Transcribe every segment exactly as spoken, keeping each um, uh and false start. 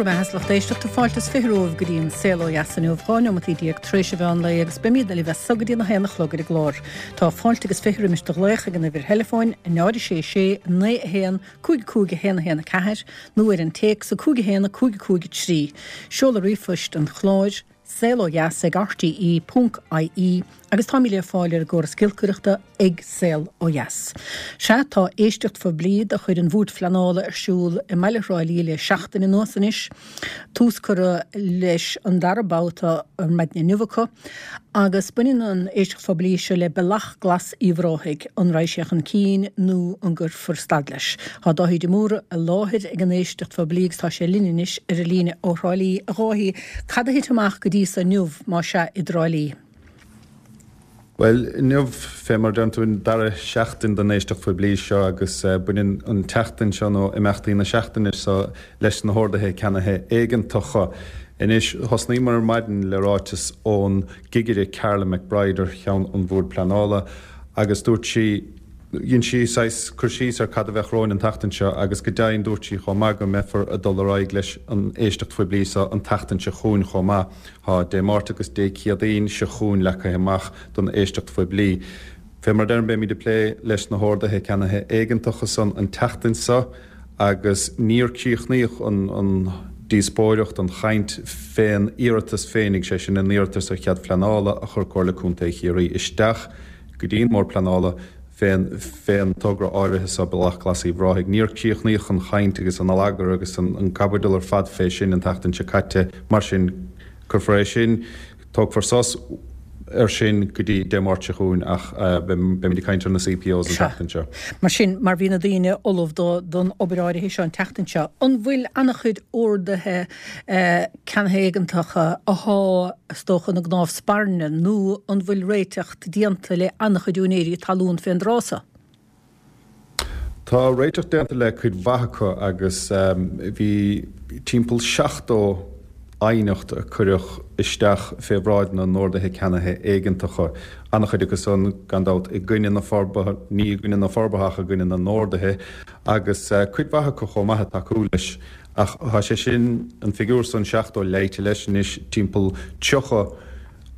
Go maith lucht éisteachta fáilte is fiche romhaibh go dtí an Saol Ó Dheas inniu dhá neomataí déag tar éis an mheán lae agus beimid libh as so go dtí a haon a chlog ar an gclár. Tá fáilte agus fiche roimis do ghlaoch ag an uimhir theileafóin náid sé sé naoi a haon cúig cúig a haon a haon a ceathair nó ar an téacs a cúig a haon a cúig cúig trí. Seoladh ríomhphoist an chláir saol ó dheas ag RTE ponc IE agus táimid le fáil ar an gcóras giolcaireachta ag Saol Ó Dheas. Sea tá éisteacht phoiblí de chuid an Bhoird Phleanála ar siúl i mbaile Thrá Lí le seachtain anuas anois. Tús curtha leis an dara babhta ar maidin inniu acu, agus baineann an éisteacht phoiblí seo le Bealach Glas Uíbh Ráthaigh, an raghaidh sé chun cinn nó an gcuirfear stad leis. Tá Dáithí de Mórdha i láthair ag an éisteacht phoiblí agus tá sé linn anois ar an líne ó Thrá Lí. A Dháithí, cad a thit amach go dtí so inniu má sea i dTrá Lí? Well, inniu fé mar deireann tú an dara seachtain den éisteacht phoiblí seo agus baineann an tseachtain seo nó imeachtaí na seachtaine seo leis na horduithe ceannaithe éigeantacha. Anois thosnaíomar ar maidin le ráiteas ón gcigire Carla McBride ar cheann an Bhoird Pleanála agus dúirt sí Dhein sí saghas cur síos ar cad a bheadh romhainn an tseachtain seo agus go deimhin dúirt sí chomh maith go mbeifear ag dul ar aghaidh leis an éisteacht phoiblí seo an tseachtain seo chugainn chomh maith. Tá Dé Máirt agus Dé Céadaoin seo chugainn leagtha amach don éisteacht phoiblí. Fé mar deirim beimid ag plé leis na horduithe ceannaithe éigeantacha san an tseachtain seo agus níor críochnaíodh an, an díospóireacht an chaint fén iarratas féinig sé sin an iarratas ar chead pleanála a chuir Comhairle Contae Chiarraí isteach go dtí an Bord Pleanála fén fén togra áirithe seo Bealach Glas Uíbh Ráthaigh. Níor críochnaíodh an chaint agus an allagar agus an, an caibidil ar fad fé sin an tseachtain seo caite mar sin cuirfear é sin tógfar sos ar sin go dtí Dé Máirt seo chugainn ach beimid ag caint ar na CPOs an tseachtain seo. Mar sin mar bhí na daoine ullamh don obair áirithe seo an tseachtain seo, an bhfuil an-chuid orduithe ceannaithe éigeantacha athá is dócha ina gcnámh spairne nó an bhfuil réiteach déanta le an-chuid úinéirí talún fén dtráth so? Tá réiteach déanta le cuid mhaith acu agus bhí timpeall seachtó aighneacht a cuireadh isteach fé bhráid na n-orduithe ceannaithe éigeantacha. An-chuid acu san gan dabht i gcoinne na forbartha, ní i gcoinne na forbartha ach i gcoinne na n-orduithe agus cuid mhaith acu chomh maith ag tacú leis. Ach tá sé sin an figiúr san seachtó léite leis anois timpeall tríocha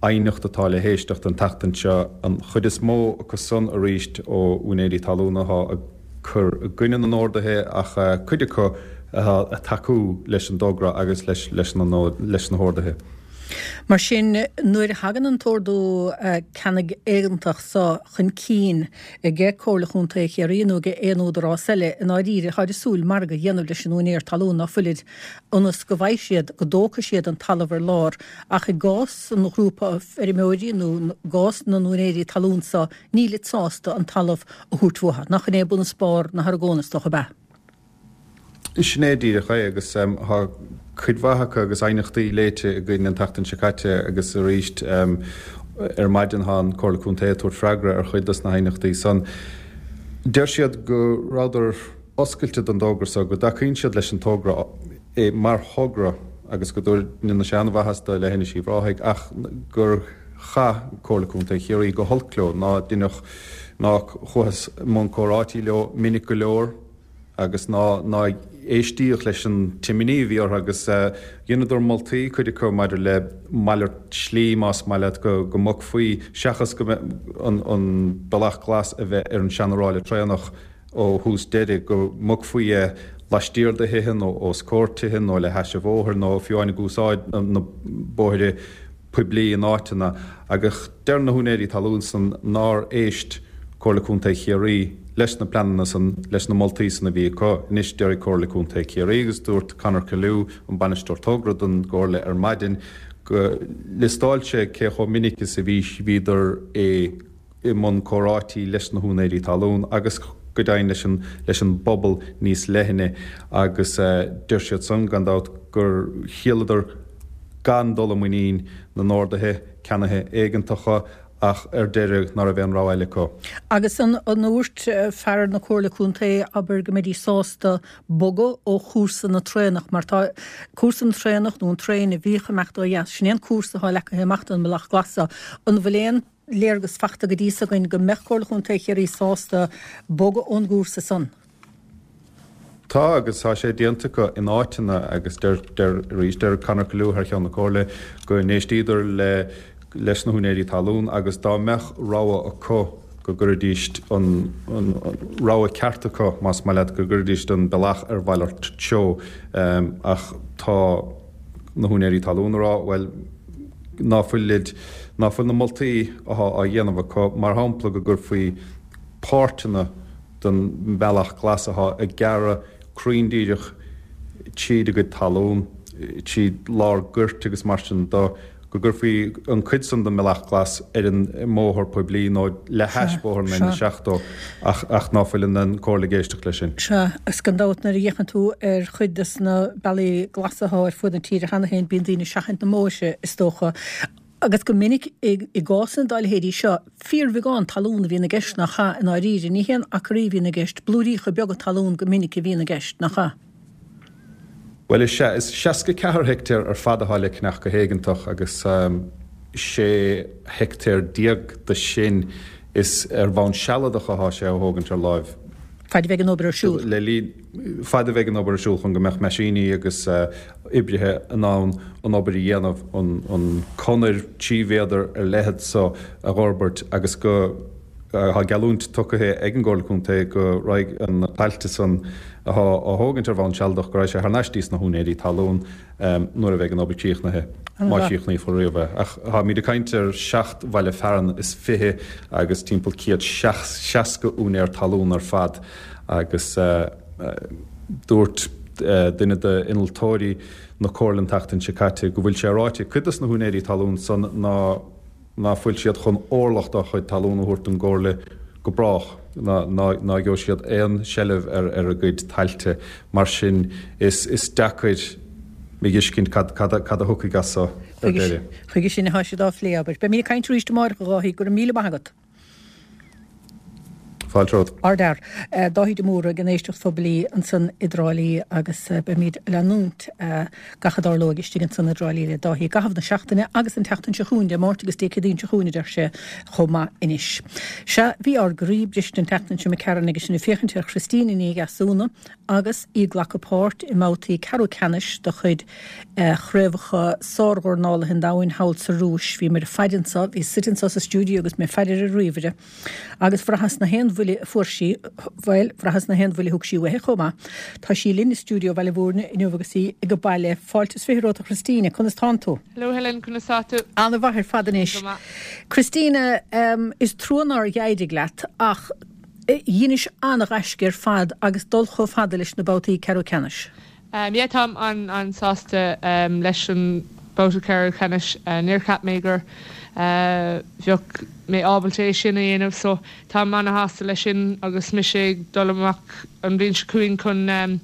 aighneacht atá le héisteacht an tseachtain seo an chuid is mó acu san arís ó úinéirí talún atá ag cur i gcoinne na n-orduithe ach cuid acu atá ag tacú leis an dtogra agus leis leis na leis na horduithe. Mar sin nuair a thagann an t-ordú ceannaigh éigeantach so chun cinn ag Comhairle Chontae Chiarraí nó ag aon údarás eile i ndáiríre táid ag súil margadh a dhéanamh leis an úinéir talún ná fuilid ionas go bhfaighidh siad go dtógfaidh siad an talamh ar lár ach i gcás an ghrúpa feirmeoirí nó i gcás na n-úinéirí talún so nílid sásta an talamh a thabhairt uathu. Nach in é bun is barr na hargóna is dócha ab ea? Sin é díreach é agus tá cuid mhaith acu agus aighneachtaí léite againn an tseachtain seo caite agus arís ar maidin tá an Comhairle Contae ag tabhairt freagra ar chuid dos na haighneachtaí san. Deir siad go rabhadar oscailte don dtogra so, go dtacaíonn siad leis an togra é mar thogra agus go ndéanann sé an-mhaitheas do Leithinis Uíbh Ráthaigh ach gur chaith Comhairle Contae Chiarraí go holc leo ná deineadh ná chuathas i mbun comhráití leo minic go leor agus ná ná éistíodh leis an t-imní a bhí orthu agus dheineadar moltaí cuid acu maidir le malairt slí más maith leat go go mbogfaí seachas go an an bealach glas a bheith ar an seanráille traenach ó thús deiridh go mbogfaí é laistiar de thithe nó os comhair tithe nó le hais an bhóthair nó fiú amháin ag úsáid na bóithre poiblí in áiteanna agus deir na húinéirí talún san nár éist Comhairle Contae Chiarraí leis na pleananna san leis na moltaí san a bhí acu. Anois deir Comhairle Contae Chiarraí agus dúirt Conor Caillou an bainisteoir togra don gComhairle ar maidin go liostáil sé cé chomh minic is a bhí bhíodar é i mbun comhráití leis na húinéirí talún agus go deimhin leis an leis an bpobal níos leithne agus deir siad san gan dabht gur shíleadar gan dul i muinín na n-orduithe ceannaithe éigeantacha ach ar deireadh ná raibh aon rogha eile acu. Agus an an ndúirt fear na Comhairle Contae abair go mbeidís sásta bogadh ó chúrsa na traenach mar tá cúrsa na traenach nó an traein a bhíodh ag imeacht ó dheas sin é an cúrsa atá leagtha amach don mBealach Glas so. An bhfuil aon léargas fachta go dtí so againn go mbeadh Comhairle Chontae Chiarraí sásta bogadh ón gcúrsa san? Tá agus tá sé déanta acu in áiteanna agus deir deir arís deir Conor Callow thar cheann na Comhairle go n-éistíodar le leis na húinéirí talún agus dá mbeadh rogha acu go gcuirfidís an an rogha ceart acu más maith leat go gcuirfidís an bealach ar mhalairt treo ach tá na húinéirí talún ag rá bhuel ná fuilid ná fuil na moltaí atá á dhéanamh acu mar shampla go gcuirfí páirteanna den mbealach glas atá ag gearradh cruinn díreach tríd a gcuid talún, tríd lár goirt agus mar sin de, go gcuirfí an cuid san den mbealach glas ar an mbóthar poiblí nó le hais bóthar na N seachtó ach ach ná fuil an Comhairle ag éisteacht leis sin. Sea, agus gan dabht nuair a fhéachann tú ar chuid des na bealaí glasa atá ar fud na tíre cheana féin bíonn daoine ag seachaint na mbóithre is dócha. Agus go minic i gcásanna dá leithéidí seo, fíorbheagán talún a bhíonn i gceist, nach ea? I ndáiríre, ní haon acraí a bhíonn i gceist, blúiríocha beaga talún go minic a bhíonn i gceist, nach ea? Bhuel, is ea. Is seasca ceathair heictéar ar fad atá le ceannach go héigeantach agus sé heictéar déag de sin is ar bhonn sealadach atá sé á thógaint ar láimh. Fad a bheidh an obair ar siúl. Le linn, fad a bheidh an obair ar siúl chun go mbeadh meaisíní agus oibrithe in ann an obair a dhéanamh, an conair trí mhéadar ar leithead so a dh'fhorbairt agus go, tá geallúint tugtha ag an gComhairle Contae go raghaidh na tailte san athá á thógaint ar bhonn sealadach, go raghaidh sé thar n-ais dtí sna húinéirí talún nuair a bheidh an obair críochnaithe, má chríochnaíofar riamh é. Ach táimid ag caint ar seacht bhaile fearainn is fiche agus timpeall céad seasca úinéir talún ar fad agus dúirt duine d'innealtóirí na Comhairle an tseachtain seo caite go bhfuil sé ráite ag cuid dos na húinéirí talún san ná ná fuil siad chun orlach dá chuid talún a thabhairt don gComhairle go brách, ná ná gheobhaidh siad aon seilbh ar ar a gcuid tailte. Mar sin, is is deacair a fheiscint cad cad cad a thiocfaidh as so ar deireadh. Chuige sin atá siad á phlé, abair. Beimid ag caint arís amárach, a Dháithí. Go raibh míle maith agat. Fáilte romhat. Ardfhear. Dáithí de Mórdha ag an éisteacht phoiblí ansan i dTrá Lí agus beimid ag leanúint gach a dtarlóidh istigh ansan i dTrá Lí le Dáithí i gcaitheamh na seachtaine agus an tseachtain seo chugainn, Dé Máirt agus Dé Céadaoin seo chugainn a deir sé chomh maith anois. Sea, bhí ár gcroí briste an tseachtain seo imigh tharainn agus sinn ag féachaint ar Christina Ní Dheasúna agus í ag glacadh páirt i mbabhtaí ceathrú ceannais de chuid Chraobhacha Sárdhornálaithe an Domhain thall sa Rúis. Bhíomar ag faire anso, bhíos suite anso sa stiúideo agus mé ag faire ar an ríomhaire. Agus bhraitheas na haon bhuille a fuair sí, bhuel, bhraitheas na haon bhuille a thug sí uaithi chomh maith. Tá sí linn i stiúideo Bhaile Mhúirne inniu agus í ag baile. Fáilte is fiche romhat a Christina, conas tánn tú? Hello Helen, conas tá tú? Ana-mhaith ar fad anois. Go maith. Christina, is trua nár éirigh leat ach dheinis ana-ghaisce ar fad agus dul chomh fada leis na babhtaí ceathrú ceannais. Yeah, táim an-an-sásta leis an babhta ceathrú ceannais. Níor cheap mé gur bheadh mé ábalta é sin a dhéanamh so táim ana-shásta leis sin agus mise ag dul amach an bhliain seo chugainn chun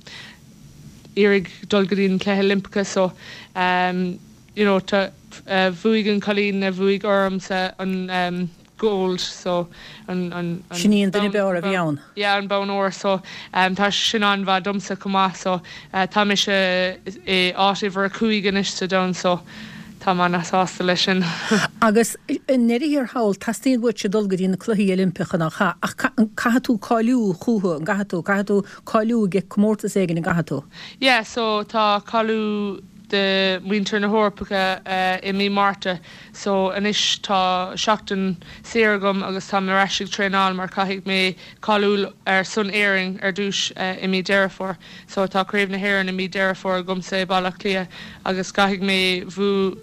iarraidh dul go dtí na Cluichí Oilimpeacha so you know tá bhuaigh an cailín a bhuaigh ormsa an gold so an an an Sin í an duine b'fhearr a bhí ann. Yeah an bonn óir so tá sé sin an-mhaith domsa chomh maith so tá mise i áit uimhir a cúig anois sa domhan so táim ana-shásta leis sin. Agus i ndeireadh thiar thall teastaíonn uaitse dul go dtí na Cluichí Oilimpeacha nach ea? Ach caithfidh tú cáiliú chucu, an gcaithfidh tú? Caithfidh tú cáiliú ag comórtas éigin, an gcaithfidh tú? Yeah so tá cáiliú de muintir na hEorpacha i mí Márta so anois tá seachtain saor agam agus táim ar ais ag traenáil mar caithfidh mé cáiliú ar son Éirinn ar dtús i mí Deireadh Fómhair so tá Craobh na hÉireann i mí Deireadh Fómhair agamsa i Baile Átha Cliath agus caithfidh mé bhu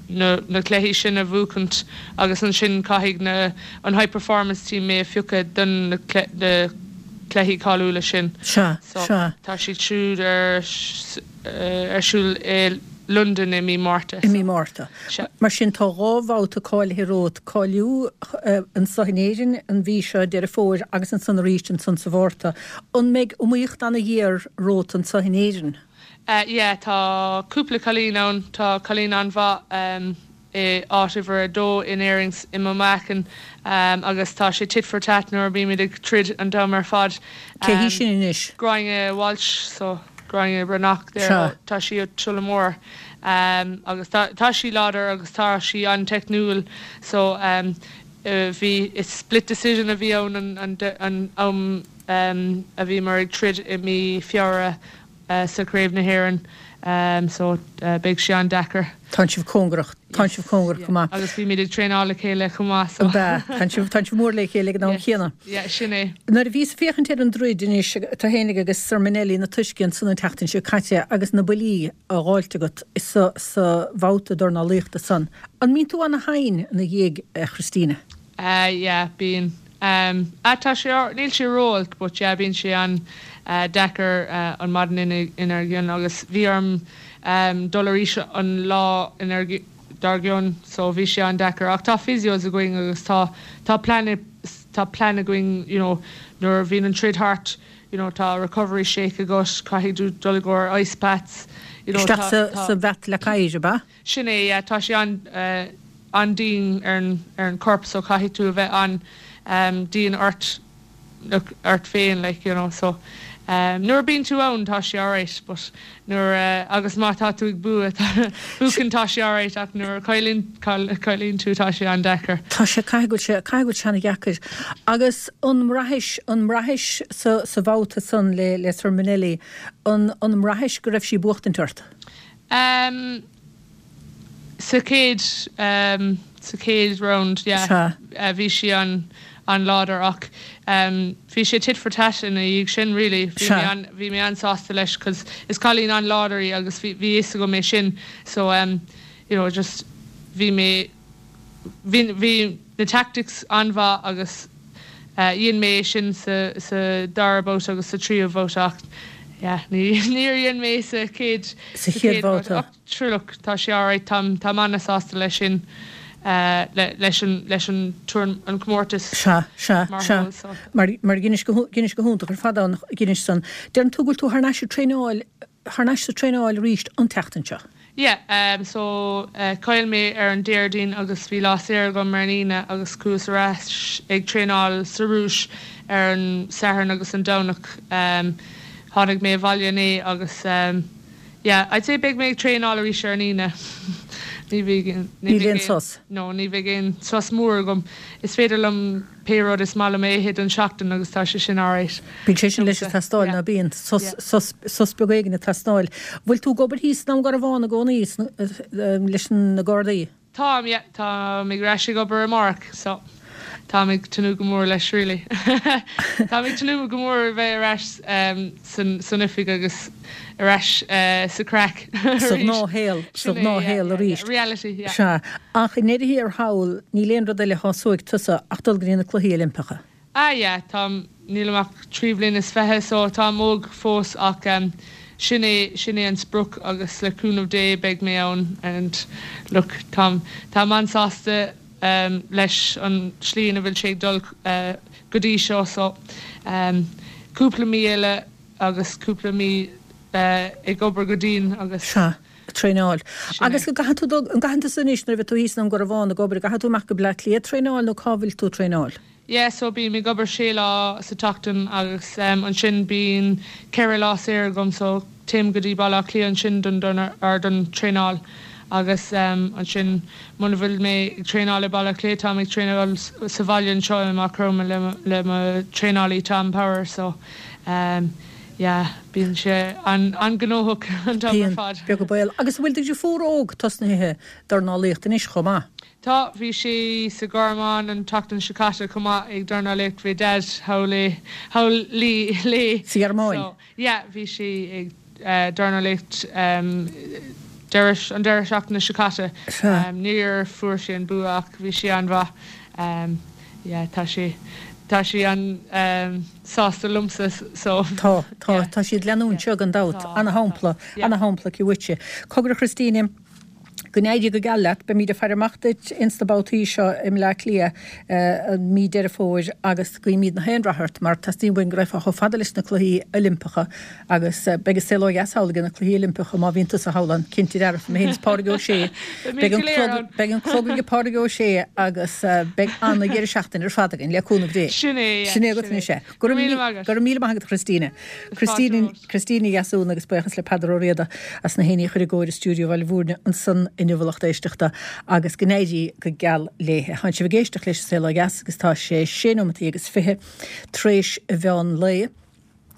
na na cluichí sin a bhuachaint agus ansin caithfidh na an high performance team mé a phiocadh don na na cluichí cáiliúla sin Sea, so sea. tá siad siúd ar ar siúl i Londain i mí Márta. I mí Márta. Sea. Mar sin tá dhá bhabhta cáilithe romhat, cáiliú anso in Éirinn an mhí seo, Deireadh Fómhair, agus ansan arís ansan sa Mhárta. An mbeidh iomaíocht ana-ghéar romhat anso in Éirinn? Yeah, tá cúpla cailín ann, tá cailín an-mhaith i áit uimhir a dó in Éirinn i mo mheáchan agus tá sé tit for tat nuair a bímid ag troid an t-am ar fad. Cé hí sin anois? Gráinne Walsh, so Gráinne Breathnach there, Sea. tá sí ó Tullamore agus tá tá sí láidir agus tá sí an-teicniúil so bhí is split decision a bhí ann an an am um, a bhíomar ag troid i mí Feabhra uh, sa Craobh na hÉireann um, so uh, beidh sé an-deacair. Tá sibh cóngarach tá sibh cóngarach go maith. Agus bímid ag traenáil le chéile chomh maith so. Tá sibh tá sibh mór le chéile ag an am chéanna. Yeah, sin é. Nuair a bhíos ag féachaint ar an dtroid anois tú fhéinig agus Sir Manelli na tuiscint san an tseachtain seo caite agus na buillí á fháilt agat sa sa bhabhta dornálaíochta san. An mbíonn tú ana-thinn ina dhiaidh a Christina? Uh, yeah, bíonn. Um, ah, tá sé níl sé ró-olc, but yeah, bíonn sé an uh, deacair uh, an maidin ina inar gcionn agus bhí orm um, dul arís an lá inar dár gcionn so bhí sé an-deacair ach tá physios againn agus tá tá plan tá plan againn you know, nuair a bhíonn an troid thart you know, tá recovery shake agat caithfidh tú dul i gcomhair ice baths you know, Isteach sa sa bhat le caid ba? Sin é yeah, tá sé an uh, an-dian ar an ar an corp so caithfidh tú a bheith an um, dian ort look, ort féin like you know so um, nuair a bhíonn tú ann tá sé alright but nuair uh, agus má tá tú ag bua buachan tá sé alright ach nuair a chailleann chailleann tú tá sé an-deacair. Tá sé caithfidh sé caithfidh sé an-deacair. Agus an mbraithis an mbraithis sa sa bhabhta san le le Sir Manelli an an mbraithis go raibh sí buachtaint ort? Um, sa chéad um, sa chéad round yeah, Sea. uh, bhí sí an an-láidir ach um, bhí sé tit for tat ina dhiaidh sin really. Bhí Sea. mé an, bhí mé an-sásta leis cos is cailín an-láidir í agus bhí bhí fhios agam é sin so um, you know, just bhí mé bhí bhí na tactics an-mhaith agus uh, dhein mé sin sa, sa dara babhta agus sa tríú babhta ach yeah, ní níor dhein mé sa chéad Sa chéad babhta. Ach, sure look, tá sé alright tá tá an-sásta leis sin uh, le, leis an leis an tour an comórtas Sea, sea, mar sea. whole, so. Mar mar dheinis go dheinis go hiontach ar fad an dheinis san. Deireann tú go bhfuil tú thar n-ais ag traenáil thar n-ais sa traenáil arís an tseachtain seo. Yeah, um, so uh, chaill mé ar an Déardaoin agus bhí lá saor agam ar an Aoine agus chuas ar ais ag traenáil sa Rúis ar an Satharn agus an Domhnach. Um, tháinig mé abhaile inné agus um, yeah, I'd say beidh mé ag traenáil arís ar an Aoine. Ní bheidh Níl aon sos? No, ní bheidh aon sos mór agam. Is féidir liom pé rud is maith liom a ithe don seachtain agus tá sé sin alright. Bíonn sé sin leis Yeah. teastáil ná bíonn sos Yeah. sos sos beag éigin ag teastáil. Bhfuil tú ag obair thíos i nDún Garbhán i gcónaí leis na Gardaí? Táim yeah, tá mé ar ais ag obair amárach so táim ag tnúth go mór leis really. Tá ag tnúth go mór bheith ar ais um, san san oifig agus ar ais uh, sa craic. Sa ghnáthshaol sa ghnáthshaol arís. Reality, yeah. Sea, ach i ndeireadh thiar thall níl aon rud eile a shásóidh tusa ach dul go dtí na Cluichí Oilimpeacha. Ah yeah, tá nílim ach trí bliana is fiche so táim óg fós ach um, sin é sin é an sprioc agus le cúnamh Dé beidh mé ann and look táim táim an-sásta um, leis an slí ina bhfuil sé ag dul uh, go dtí seo so um, cúpla mí eile agus cúpla mí uh, ag obair go dian agus Sea, traenáil. Sin Agus é. go gcaithfidh tú dul- an gcaithfidh tú anois nuair a bheidh tú thíos i nDún Garbhán ag obair, gcaithfidh tú amach go Bleá Cliath traenáil nó cá bhfuil tú traenáil? Yeah, so bím ag obair sé lá sa tseachtain agus um, ansin bíonn ceithre lá saor agam so téim go dtí Baile Átha Cliath ansin don don ar don traenáil agus um, ansin muna bhfuil mé ag traenáil i Baile Átha Cliath táim ag traenáil s- sa bhaile anseo i Maigh Chromtha le mo- le mo traenálaí Tom Power so um, yeah, bíonn sé an an-ghnóthach an t-am ar Bíonn fad. beag baol. Agus bhfuil do dheirfiúr óg tosnaithe dornálaíocht anois chomh maith. Tá bhí sí sa Ghearmáin an tseachtain seo caite chomh maith ag dornálaíocht bhí Dad thall thall léi léi. Sa Ghearmáin? So, yeah, bhí sí ag uh, dornálaíocht um, deireadh an deireadh seachtaine seo caite. Sea. Um, níor fuair sí an bua ach bhí sí an-mhaith. Um, yeah, tá sí tá sí an um, sásta liomsa so Tá tá Yeah. tá siad leanúint seo gan dabht Tá, ana-shampla tá. Yeah. ana-shampla aici uaitse. Cogar a Christine go n-éirí go geal leat, beimid ag faire amach duit ins na babhtaí seo i mBleá Cliath eh, an mí Deireadh Fómhair agus guímid na haon rath ort mar teastaíonn uainn go raghfá chomh fada leis na Cluichí Oilimpeacha agus eh, beidh an saol ó dheas thall ag na Cluichí Oilimpeacha má bhíonn tusa thall ann cinnte dearfa mé féin is Pádraig Ó Sé. Beidh Beidh an go léir clog- ann. beidh an clog ag Pádraig Ó Sé agus eh, beidh an-deireadh seachtaine ar fad againn le cúnamh Dé. Sin é, yeah, Sin é agat sin é. anois é. Go Go raibh raibh míle míle maith agat. go raibh míle maith agat Christine. Christine romhat. Christine Deasún agus buíochas le Peadar Ó Riada as na héinní chur i gcóir i stiúideo Bhaile Bhúirne ansan inniu. inniu a lucht éisteachta agus go n-éirí go geal léi. Tánn sibh ag éisteacht leis An Saol Ó Dheas agus tá sé sé nóimeataí agus fiche tar éis an mheán lae.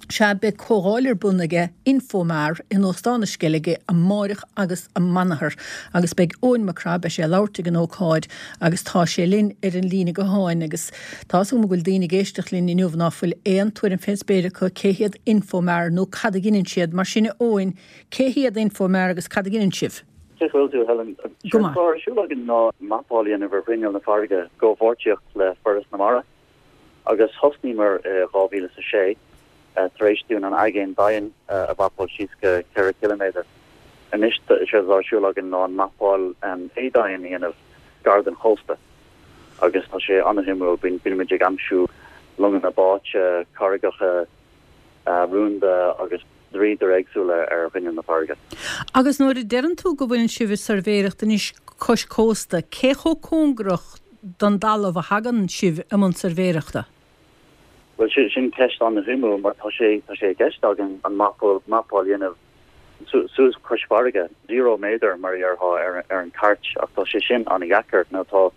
Sea, beidh comhdháil ar bun aige Infomar in Óstán na Sceilge amáireach agus amanathar agus beidh Eoin Mac Craith, beidh sé ag labhairt ag an ócáid agus tá sé linn ar an líne gutháin agus tá 'fhios agam go bhfuil daoine ag éisteacht linn inniu ná fuil aon tuairim fén spéir acu cé hiad Infomar nó cad a dheineann siad. Mar sin a Eoin, cé hiad Infomar agus cad a dheineann sibh? Cén chaoi a bhfuil tú, Helen? Go maith. Séard atá ar siúl againn ná mapáil a dhéanamh ar ghrinneall na farraige i gcomhpháirtíocht le Foras na Mara agus thosnaíomar i dhá mhíle is a sé tar éis dúinn an aigéan doimhin a mhapáil síos go ceithre chiliméadar. Anois is éard atá ar siúl againn ná an mapáil éadomhain a dhéanamh gar don chósta agus tá sé an-shuimiúil, bíonn muid ag aimsiú longanna báite, carraigeacha rúnda agus dríodair éagsúla ar ghrinneall na farraige. Agus nuair a deireann tú go bhfuileann sibh ag suirbhéireacht anois cois cósta, cé chomh cóngarach don dtalamh a thagann sibh i mbun suirbhéireachta? Bhuel, sin ceist an-shuimiúil mar tá sé tá sé i gceist againn an mapáil mapáil a dhéanamh suas cois farraige, zero méadar mar a déarfá ar ar an chairt ach tá sé sin an-dheacair. Nó tá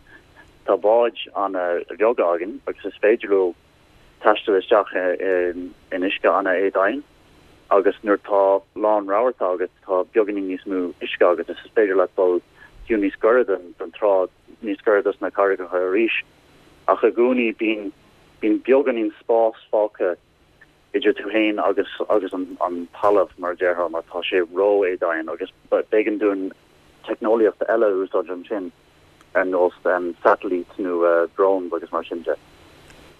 tá báid an-bheaga againn agus is féidir leo taisteal isteach in in uisce an-éadomhain agus nuair tá lán rabharta agat tá beagáinín níos mó uisce agat is is féidir leat dul fiú níos gaire den den trá, níos gaire dos na carraigeacha arís. Ach i gcónaí bíonn bíonn beagáinín spás fágtha idir tú féin agus agus an an talamh mar a déarfá mar tá sé ró-éadomhain agus b'éigean dúinn teicneolaíocht eile a úsáid ansin ar nós satailít nó drones agus mar sin de.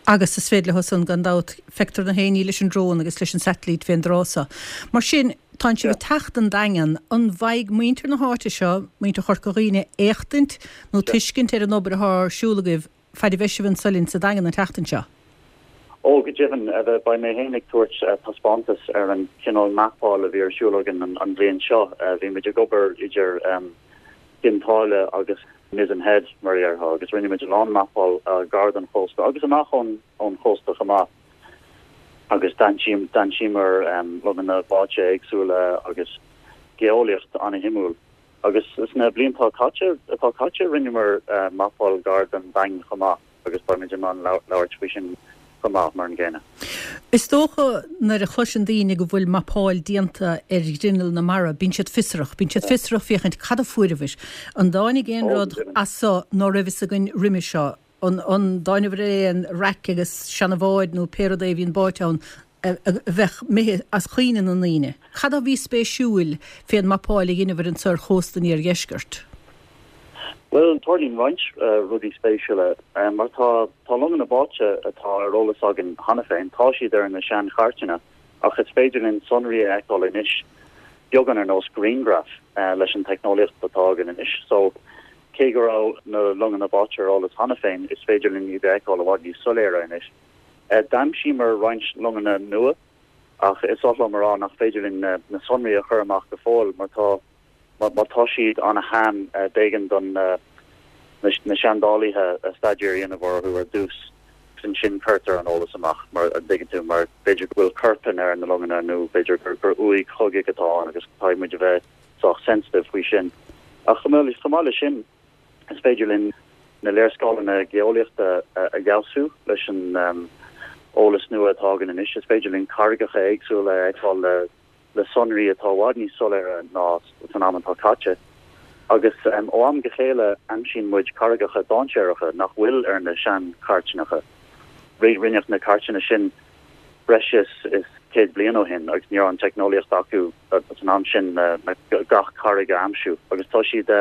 Agus is féidir leo san gan dabht, feictear na héinní leis an drón agus leis an satailít fén dtráth so. Mar sin, tánn sibh ag teacht an Daingean, an bhfaighidh muintir na háite seo, muintir Chorca Dhuibhne, éachtaint nó tuiscint ar an obair athá ar siúl agaibh faid a bheidh sibh anso linn sa Daingean an tseachtain seo? Ó, go deimhin, beidh mé féin ag tabhairt taispeántas ar an chineál mapáil a bhí ar siúl againn an bhliain seo. Bhí muid ag obair idir Cionn tSáile agus Mizen Head, mar a déarfá, agus rinne muid a lán mapáil gar don chósta agus amach ón ón chósta chomh maith. Agus d'aimsíomar longanna báite éagsúla agus geolaíocht an-shuimiúil. Agus sna blianta caite atá caite rinneamar mapáil gar don Daingean chomh maith agus beimid in ann labhairt faoi sin chomh maith mar an gcéanna. Is dócha nuair a chloiseann daoine go bhfuil mapáil déanta ar ghrinneall na mara, bíonn siad fiosrach, bíonn siad fiosrach féachaint cad a fuaireabhair. An dtáinig aon rud as so ná raibh fhios againn roimhe seo? An an dtáinabhair ar aon raic agus seana-bháid nó pé rud é a bhíonn báite ann a bheadh imithe as cuimhne na ndaoine? Cad a bhí spéisiúil fén mapáil a dheineabhair anso ar chósta an iardheiscirt? Bhuel, tarlaíonn roinnt rudaí spéisiúla mar tá tá longanna báite atá ar eolas againn cheana féin, tá siad ar na seanchairteanna ach is féidir linn sonraí a fheiceáil anois beagán ar nós grianghraf leis an teicneolaíocht atá againn anois. So, cé go raibh na longanna báite ar eolas cheana féin, is féidir linn iad a fheiceáil i bhfad níos soiléire anois. D'aimsíomar roinnt longanna nua ach is oth liom a rá nach féidir linn na sonraí a chur amach go fóill mar tá Má tá siad an-shean, b'éigean don na seandálaithe staidéar a dhéanamh orthu ar dtús agus ansin cuirtear an eolas amach, mar a dtuigeann tú, mar b'fhéidir go bhfuil corpáin ar na longanna nó b'fhéidir gur uaigh chogaidh atá ann agus caithfidh muid a bheith sách sensitive faoi sin. Ach chomh maith leis sin, is féidir linn na léarscáileanna geolaíochta a fheabhsú leis an eolas nua atá againn anois. Is féidir linn carraigeacha éagsúla a fheiceáil le le sonraí atá i bhfad níos soiléire ná san am atá caite, agus ó am go chéile aimsíonn muid carraigeacha dainséaracha nach bhfuil ar na seanchairteanna. Rinneadh na cairteanna sin breis is céad bliain ó shin agus ní raibh an teicneolaíocht acu san am sin le gach carraig a aimsiú agus tá siad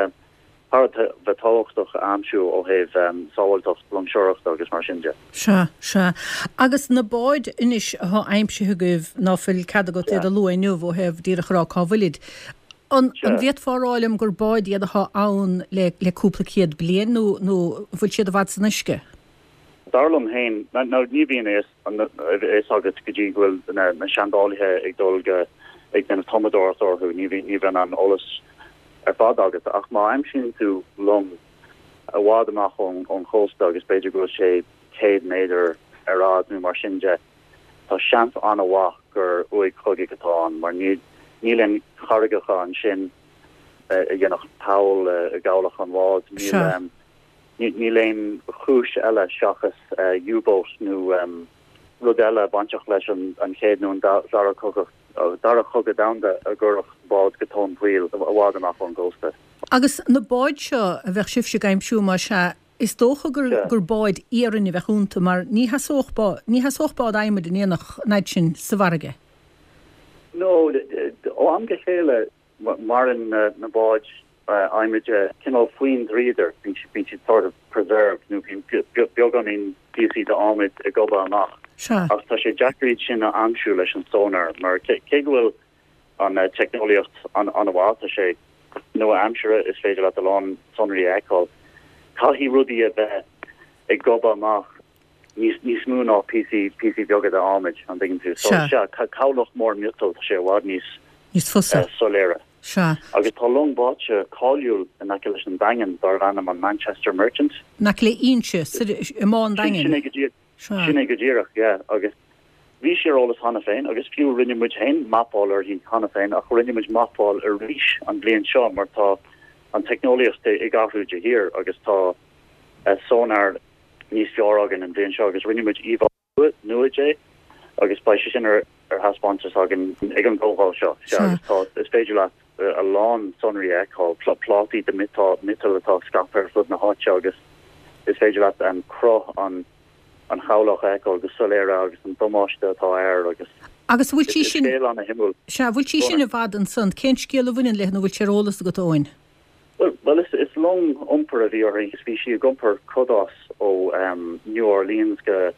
thar a bheith tábhachtach a aimsiú ó thaobh sábháilteacht loingseoireachta agus mar sin de. Sea, sea. Agus na báid anois athá aimsithe agaibh, ná fuil cead agat iad a lua inniu ó thaobh díreach a rá cá bhfuilid, an bhféadfá a rá liom gur báid iad athá ann le le cúpla céad bliain nó nó an bhfuil siad i bhfad san uisce? Dar liom féin, nó ní bhíonn a fhios agat go dtí go bhfuil na seandálaithe ag dul go ag déanamh tumadóireacht orthu, ní bhíonn an eolas ar fad agat, ach má aimsíonn tú long i bhfad amach ón chósta agus b'fhéidir go bhfuil sé céad méadar ar fhad nó mar sin de, tá seans an-mhaith gur uaigh chogaidh atá ann mar níl aon charraigeacha ansin, a dhéanfadh poll i gcabhlach an bháid. Níl níl aon chúis eile seachas U-boat nó rud eile bainteach leis an chéad nó an dara cogadh dara cogadh domhanda a gcuirfeadh bád go tóin poill i bhfad amach ón gcósta. Agus na báid seo a bheadh sibhse ag aimsiú mar sea, is dócha gur gur báid iarainn a bheadh iontu mar ní sheasódh bád ní sheasódh bád adhmaid in aon an fhad sin sa bhfarraige. No, ó am go chéile maireann na báid adhmaid cineál faoin dríodar, bíonn bíonn siad sort of preserved nó bíonn beagáinín píosaí d'adhmad ag gobadh amach. Ach tá sé deacair iad sin a aimsiú leis an sonar mar cé go bhfuil an teicneolaíocht an-mhaith, tá sé nua-aimseartha, is féidir leat a lán sonraí a fheiceáil. Caithfidh rudaí a bheith ag gobadh amach níos níos mó ná píosaí píosaí beaga d'adhmad, an dtuigeann tú? So sea, cabhlach mór miotail, tá sé i bhfad níos níos fusa. soiléire. Sea. Agus tá long báite cáiliúil in aice leis an Daingean darb ainm an Manchester Merchant. In aice le Inse, i mBá an Daingin. Sin é go díreach. Sin é go díreach, yeah. Agus bhí sí ar eolas cheana féin agus fiú rinne muid féin mapáil uirthi cheana féin ach rinne muid mapáil arís an bhliain seo mar tá an teicneolaíocht ag athrú de shíor agus tá sonar níos fearr againn an bhliain seo agus rinne muid íomhá nua de agus beidh sé sin ar ar thaispeántas againn ag an gcomhdháil seo. Sea, agus tá, is féidir leat a lán sonraí a fheiceáil, plátaí de mhiotal atá scaipthe ar fud na háite agus is féidir leat an cruth an an chabhlach a fheiceáil go soiléir agus an damáiste atá air agus Agus bhfuil sí sin, scéal ana-shuimiúil. Sea, bhfuil sí sin i bhfad ansan? Cén scéal a bhaineann léi nó bhfuil sé ar eolas agat, Eoin? Bhuel, bhuel is, is long iompair a bhí uirthi agus bhí sí ag iompar cadás ó New Orleans go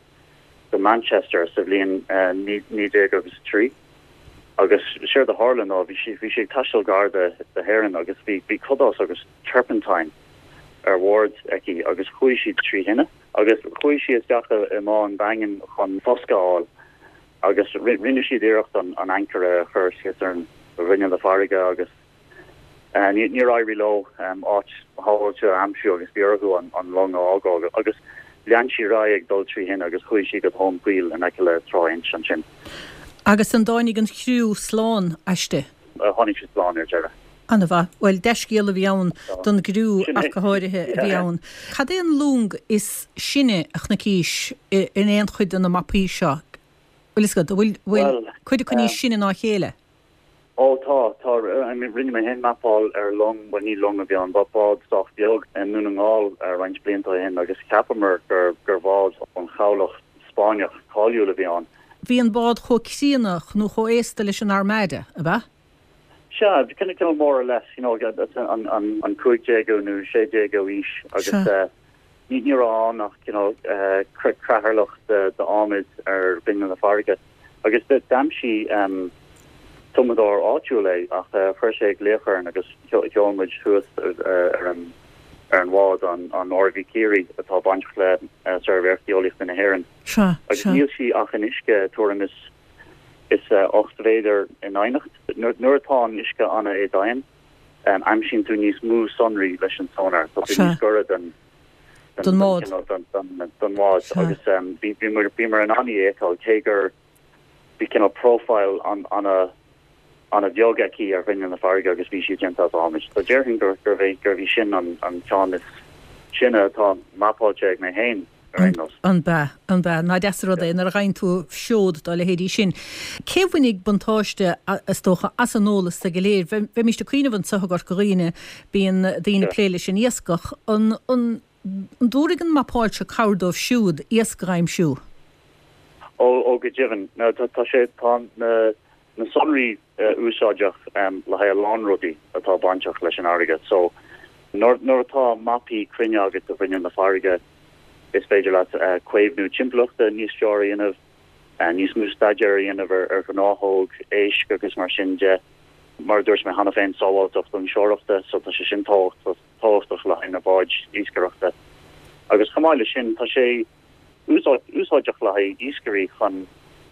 go Manchester sa bhliain naoi déag agus a trí agus séard a tharla ná bhí sí bhí sí ag taisteal gar do hÉirinn agus bhí bhí cadás agus turpentine ar bhord aici agus chuaigh sí trí thine agus chuaigh sí isteach i mBá an Daingin chun foscadh a fháil agus rinne siad iarracht an an ancaire a chur síos ar an ghrinneall na farraige agus Níor éirigh leo áit shábháilte a aimsiú agus bhí orthu an long a fhágáil agus lean sí ar aghaidh ag dul trí thine agus chuaigh sí go tóin poill in aice le Trá Inse ansin. Agus an dtáinig an chriú slán aisti? Tháinig siad slán ar deireadh. An-mhaith. Bhuel, dea-scéal a bhí ann don gcriú ach go háirithe a bhí ann. Cad é an long is sine a chonaicís in aon chuid de na mapaí seo? Bhfuil fhios agat, an bhfuil cuid acu níos sine ná a chéile? Ó tá, tá. Rinne mé féin mapáil ar long, bhuel ní long a bhí ann, bád sách beag i nDún na nGall roinnt blianta ó shin agus cheapamar gur gur bhád ón chabhlach Spáinneach cáiliúil a bhí ann. Bhí an bád chomh críonna nó chomh aosta leis an Armada, ab ea? Sea, cineál more or less, you know, an an an cúig déagiú nó sé déagiú aois agus Ní raibh ann ach cineál creatharlach d'adhmad ar ghrinneall na farraige agus d'aimsigh tumadóir áitiúil é ach chuir sé glaoch orainn agus sheol muid suas ar an ar an bhád, an R V Ciarraí atá bainteach le Suirbhé Archaeolaíochta na hÉireann. Agus níl sí ach in uisce tuairim is is ocht mhéadar i ndoimhneacht. Nuair atá an uisce an-éadomhain, aimsíonn tú níos mó sonraí leis an sonar, tá tú níos gaire don don mbád. don bhád agus bhíomar in ann í a fheiceáil cé gur bhí cineál profile an-bheag aici ar ghrinneall na farraige agus bhí sí déanta as adhmad. So déarfainn gurbh é gurbh í sin an ceann is sine atá mapáilte ag mé féin. ar aon nós. An b'ea, an b'ea. Nach deas an rud é nuair a gheibheann tú seod dá leithéidí sin. Cé a bhainfidh buntáiste, is dócha, as an eolas go léir? Bheimíst ag cuimhneamh anseo i gCorca Dhuibhne, bíonn daoine ag plé leis an iascach. An, an, an dtabharfaidh an mapáil seo cabhair dóibh siúd iasc a aimsiú? Ó, ó go deimhin. Tá, tá sé, tá na, na sonraí úsáideach le haghaidh a lán rudaí atá bainteach leis an fharraige. So, nuair, nuair atá mapaí cruinne agat de ghrinneall na farraige, is féidir leat caomhnú timpeallachta níos fearr a dhéanamh, níos mó staidéir a dhéanamh ar ghnáthóg, éisc agus mar sin de. Mar a dúirt mé cheana féin, sábháilteacht loingseoireachta, so tá sé sin tábhachtach le haghaidh na báid iascaireachta. Agus chomh maith leis sin, tá sé úsáideach le haghaidh iascairí chun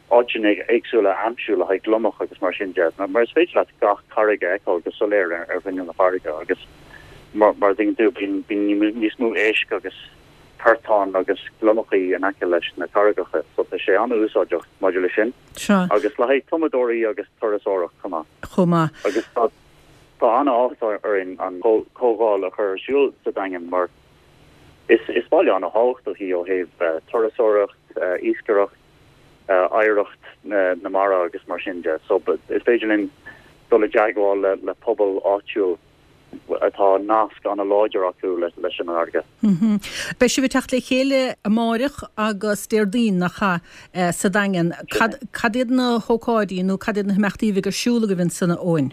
áiteanna éagsúla a aimsiú le haghaidh gliomach agus mar sin de, mar is féidir leat gach carraig a fheiceáil go soiléir ar ghrinneall na farraige agus mar a dtuigeann tú, bíonn níos mó éisc agus portáin agus gliomachaí in aice leis na carraigeacha so tá sé an-úsáideach maidir leis sin Sea. agus le haghaidh tumadóirí agus turasóireacht chomh maith. Chomh maith. Agus tá Tá an-áthas orainn an chomhdháil a chur ar siúl sa Daingean mar is is baile an-thábhachtach í ó thaobh turasóireacht, iascaireacht, oidhreacht na mara agus mar sin de. So is féidir linn dul i dteagmháil le le pobal áitiúil atá nasc an-láidir acu leis an fharraige. Beidh sibh ag teacht le chéile amáireach agus Déardaoin, nach ea, sa Daingean. Cad cad iad na hócáidí nó cad iad na himeachtaí a bheidh ar siúl agaibh ansan, a Eoin?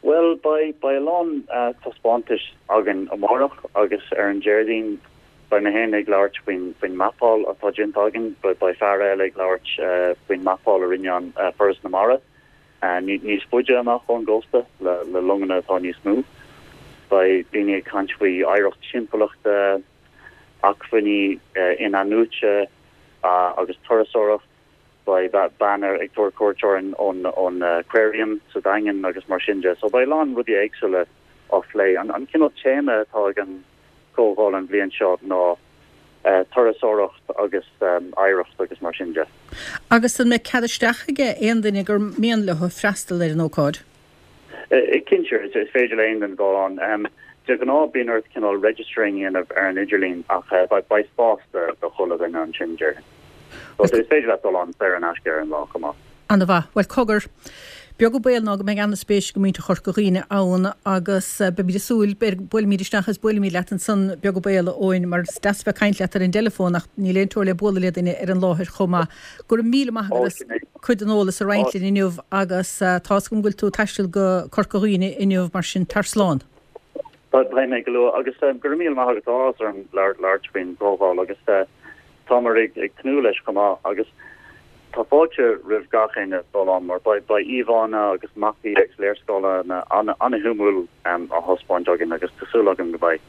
Bhuel, beidh beidh a lán taispeántais againn amárach agus ar an Déardaoin beidh mé féin ag labhairt faoin faoin mapáil atá déanta againn, beidh fear eile ag labhairt faoin mapáil a rinne an Foras na Mara níos faide amach ón gcósta le le longanna atá níos mó. Beidh daoine ag caint faoi oidhreacht timpeallachta, acmhainní in-athnuaite agus turasóireacht. Beidh bean ag tabhairt cuairt orainn ón ón Aquarium sa Daingean agus mar sin de. So beidh a lán rudaí éagsúla á phlé. An an cineál téama atá ag an chomhdháil an bhliain seo ná turasóireacht agus oidhreacht agus mar sin de. Agus an mbeidh cead isteach ag aon duine gur mian leo freastal ar an ócáid? Cinnte, is féidir le aon duine dul ann. De ghnáth bíonn ort cineál registering a dhéanamh ar an idirlíon ach beidh spás do chuile dhuine ansin, déarfainn. So is féidir leat dul ann saor in aisce ar an lá chomh maith. Ana-mhaith. Bhuel, cogar, beag an baol ná go mbeidh ana-spéis ag muintir Chorca Dhuibhne ann agus beimid ag súil, buailfimid isteach is buailfimid leat ansan, beag an baol, a Eoin, mar is deas bheith ag caint leat ar an dteileafón ach níl aon teora le bualadh le duine ar an láthair chomh maith. Go raibh míle maith agat as cuid den eolas a roinnt linn inniu agus tá's agam go bhfuil tú ag taisteal go Corca Dhuibhne inniu mar sin tar slán. Beidh mé go luath agus go raibh míle maith agat tá áthas orm labhairt faoin gcomhdháil agus táimid ag tnúth leis chomh maith agus tá fáilte roimh gach éinne dul ann mar beidh íomhánna agus mapaí agus léarscáileanna an-shuimiúil á thaispeáint againn agus tá súil agam go mbeidh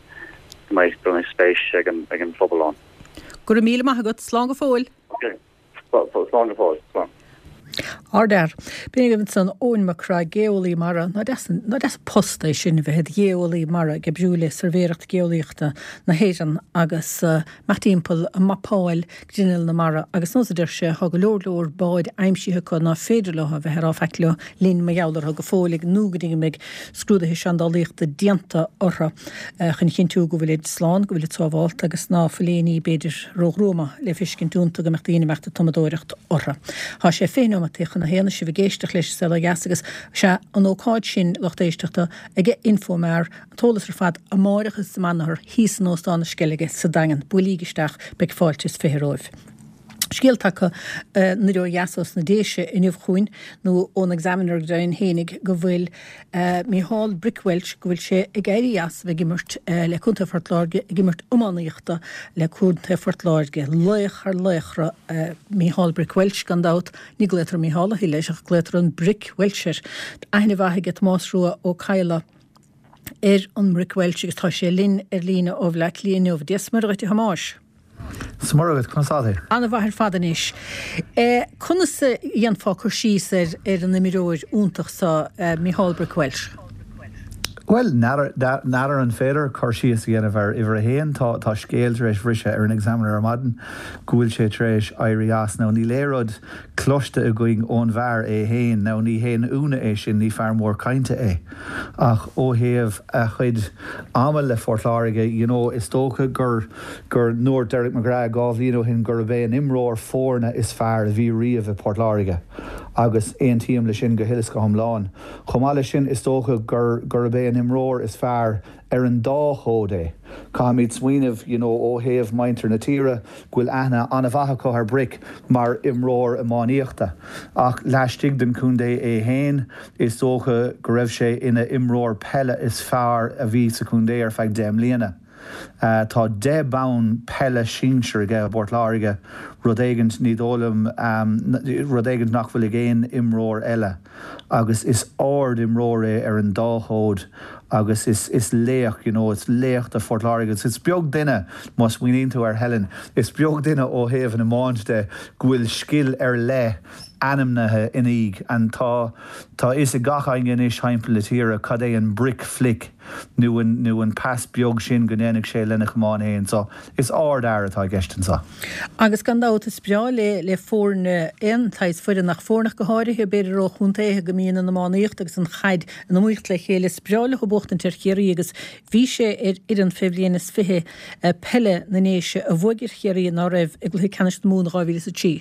go mbeidh go mbeidh spéis ag an ag an phobal ann. Go raibh míle maith agat. Slán go fóill. Ok. Slán go fóill. Slán. Ardfhear. B'in agaibh ansan Eoin Mac Craith, geolaí mara. Ná deas an ná deas an post é sin a bheith i do gheolaí mara ag oibriú le Suirbhéireacht Geolaíochta na hÉireann agus imeacht timpeall ag mapáil grinneall na mara agus nós a deir sé tá go leor leor báid aimsithe acu ná féidir leo a bheith ar fhaic leo linn mar gheall orthu go fóill ag nó go dtí go mbeidh scrúduithe seandálaíochta déanta orthu chun a chinntiú go bhfuilid slán, go bhfuilid sábhálta agus ná fuil aon ní b'fhéidir róghruama le feiscint iontu go mbeadh daoine ag imeacht ag tumadóireacht orthu. Tá sé fiche nóimeataí chun a haon is sibh ag éisteacht leis an Saol Ó Dheas agus sea an ócáid sin lucht éisteachta ag Infomar, an t-eolas ar fad amáireach is amanathar thíos in Óstán na Sceilge sa Daingean. Buailíg isteach, beidh fáilte is fiche romhaibh. Scéal tagtha anoir ó dheas ós na Déise inniu chugainn, nó ón Examiner go deimhin fhéinig, go bhfuil Micheál Brick Walsh, go bhfuil sé ag éirí as a bheith ag imirt le Contae Phort Láirge, ag imirt iománaíochta le Contae Phort Láirge. Laoch thar laochra Micheál Brick Walsh gan dabht. Ní glaotar Micheál a thuilleadh leis ach glaotar an Brick Walsh air. Aithne mhaith aige Tomás Rua Ó Cadhla ar an mBrick Walsh agus tá sé linn ar líne ó Bhleá Cliath inniu. Dia 's Muire dhuit a Thomáis. 's Muire dhuit, conas tá tú? Ana-mhaith ar fad anois. Conas a dhéanfá cur síos ar ar an imreoir iontach seo, Micheál Brick Walsh? Bhuel, n'fheadar an féidir cur síos a dhéanamh ar uimhir a haon. Tá tá scéal tar éis bhriseadh ar an Examiner ar maidin go bhfuil sé tar éis éirí as. Now níl aon rud cloiste againn ón bhfear é féin. Now ní haon ionadh é sin, ní fear mór cainte é. Ach ó thaobh a chuid ama le Phort Láirge, you know, is dócha gur gur ndúirt Derek McGrath dhá bhliain ó shin gurb é an imreoir foirne is fearr a bhí riamh i Port Láirge agus aontaím leis sin go huile is go hiomlán. Chomh maith leis sin, is dócha gur gurb é an imreoir is fearr ar an dá chód é. Caithfimid smaoineamh, you know, ó thaobh muintir na tíre, go bhfuil aithne an-mhaith acu ar Brick mar imreoir iománaíochta. Ach laistigh den chontae é féin, is dócha go raibh sé ina imreoir peile is fearr a bhí sa chontae ar feadh deich mbliana. Tá deich bonn peile sinsir aige i bPort Láirge, rud éigint, ní dóigh liom, rud éigint nach bhfuil ag aon imreoir eile. Agus is ard-imreoir é ar an dá chód agus is is laoch you know, is laoch do Phort Láirge agus is beag duine má smaoiníonn tú air Helen, is beag duine ó thaobh an iomáint de go bhfuil scil ar leith ainmnithe ina dhiaidh and tá tá fhios ag gach éinne anois thimpeall na tíre cad é an brick flick nó an nó an pas beag sin go ndéanfaidh sé lena chamán féin so is ardfhear atá i gceist anseo. Agus gan dabht is breá le le foirne aon tsaghas foireann ach foirne go háirithe b'fhéidir ó chontaetha go mbíonn an iománaíocht agus an chaid in iomaíocht le chéile is breá leo buachtaint ar Chiarraí agus bhí sé ar fhoireann fé bhliain is fiche peile na nDéise a bhuaigh ar Chiarraí ná raibh i gcluiche ceannais na Mumhan dhá mhíle is a trí.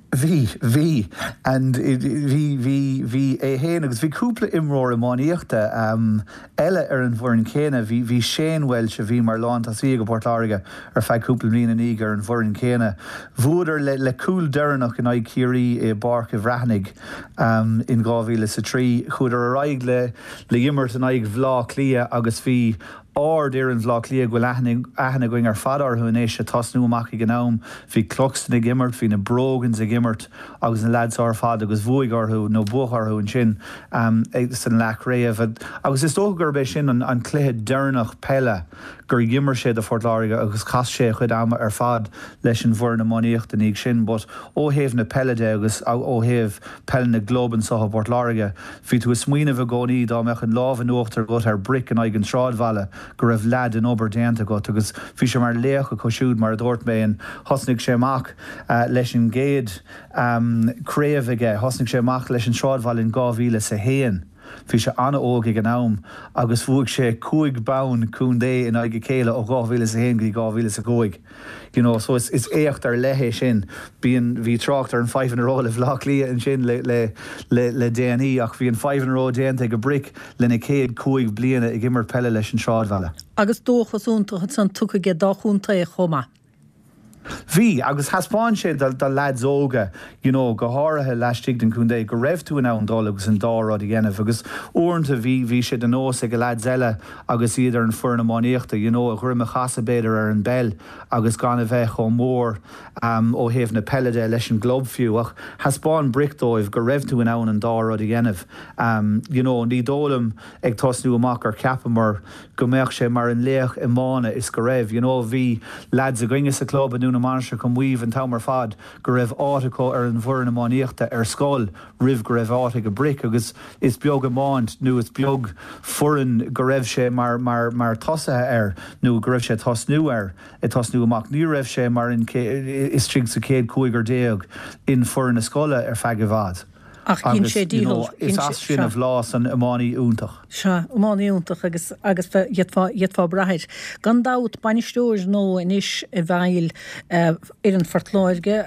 Bhí, bhí, and bhí, bhí, bhí é féin agus bhí cúpla imreoir iománaíochta um, eile ar an bhfoireann céanna. Bhí, bhí Shane Walsh a bhí mar lántosaí ag Port Láirge ar feadh cúpla bliain ina dhiaidh ar an bhfoireann céanna. Bhuadar le, le cúl deireanach in aghaidh Chiarraí i bPáirc an Bhreathnaigh um, in dhá mhíle is a trí. Chuadar ar aghaidh le, le himirt in aghaidh Bhaile Átha Cliath agus bhí ardfhoireann Bhaile Átha Cliath go bhfuil aithne againn ar fad orthu anois ag tosnú amach ag an am. Bhí Cluxton ag imirt, bhí na Brogans ag imirt agus na lads ar fad agus bhuaigh orthu nó buadh orthu ansin san leathchraobh. Agus is dócha gurb é sin an cluiche deireanach peile gur dh'imir sé do Phort Láirge agus chaith sé a chuid ama ar fad leis an bhfoireann iománaíochta ina dhiaidh sin. But ó thaobh na peile de agus ó thaobh peil na gclub anseo i bPort Láirge, bhí tú ag smaoineamh i gcónaí dá mbeadh an lámh in uachtar agat ar Brick in aghaidh an tSráidbhaile go raibh leath den obair déanta agat agus bhí sé mar laoch acu siúd mar a dúirt mé and thosnaigh sé amach leis an gcéad craobh aige, thosnaigh sé amach leis an Sráidbhaile in dhá mhíle is a haon. Bhí sé an-óg ag an am agus bhuaigh sé cúig bonn contae in aghaidh a chéile ó dhá mhíle is a haon go dtí dhá mhíle is a cúig. You know, so is, is éacht ar leith é sin. Bíonn, bhí trácht ar an five in a row le Bhaile Átha Cliath ansin le, le, le, le déanaí ach bhí an five in a row déanta ag Brick lena chéad cúig bliana ag imirt peile leis an Sráidbhaile. Agus dóchas iontach ansan tugtha aige dá chontae chomh maith. Bhí, agus thaispeáin sé do, do lads óga, you know, go háirithe laistigh den chontae, go raibh tú in ann dul agus an dá rud a dhéanamh agus uaireanta bhí, bhí sé de nós ag lads eile agus iad ar an foireann iománaíochta, you know, a dhroim a chasadh b'fhéidir ar an bpeil agus gan a bheith chomh mór um, ó thaobh na peile de leis an gclub fiú ach thaispeáin Brick dóibh go raibh tú in ann an dá rud a dhéanamh. Um, you know, ní dóigh liom ag tosnú amach gur cheapamar go mbeadh sé mar an laoch iomána is go raibh, you know, bhí lads againne sa club i nDún na Mainistreach ag maíomh an t-am ar fad go raibh áit acu ar an bhfoireann iománaíochta ar scoil roimh go raibh áit ag Brick agus is beag iomáint nó is beag foireann go raibh sé mar mar mar tosaithe air nó go raibh sé tosnú air ag tosnú amach. Ní raibh sé mar in istigh sa chéad cúigear déag in foireann na scoile ar feadh i bhfad. Ach dhein sé dícheall. Is as sin a bhlás an iománaí iontach. Sea, iománaí iontach agus agus d'fhéadfá d'fhéadfá brath air. Gan dabht, bainisteoir nua anois i bhfeighil fhoireann Phort Láirge,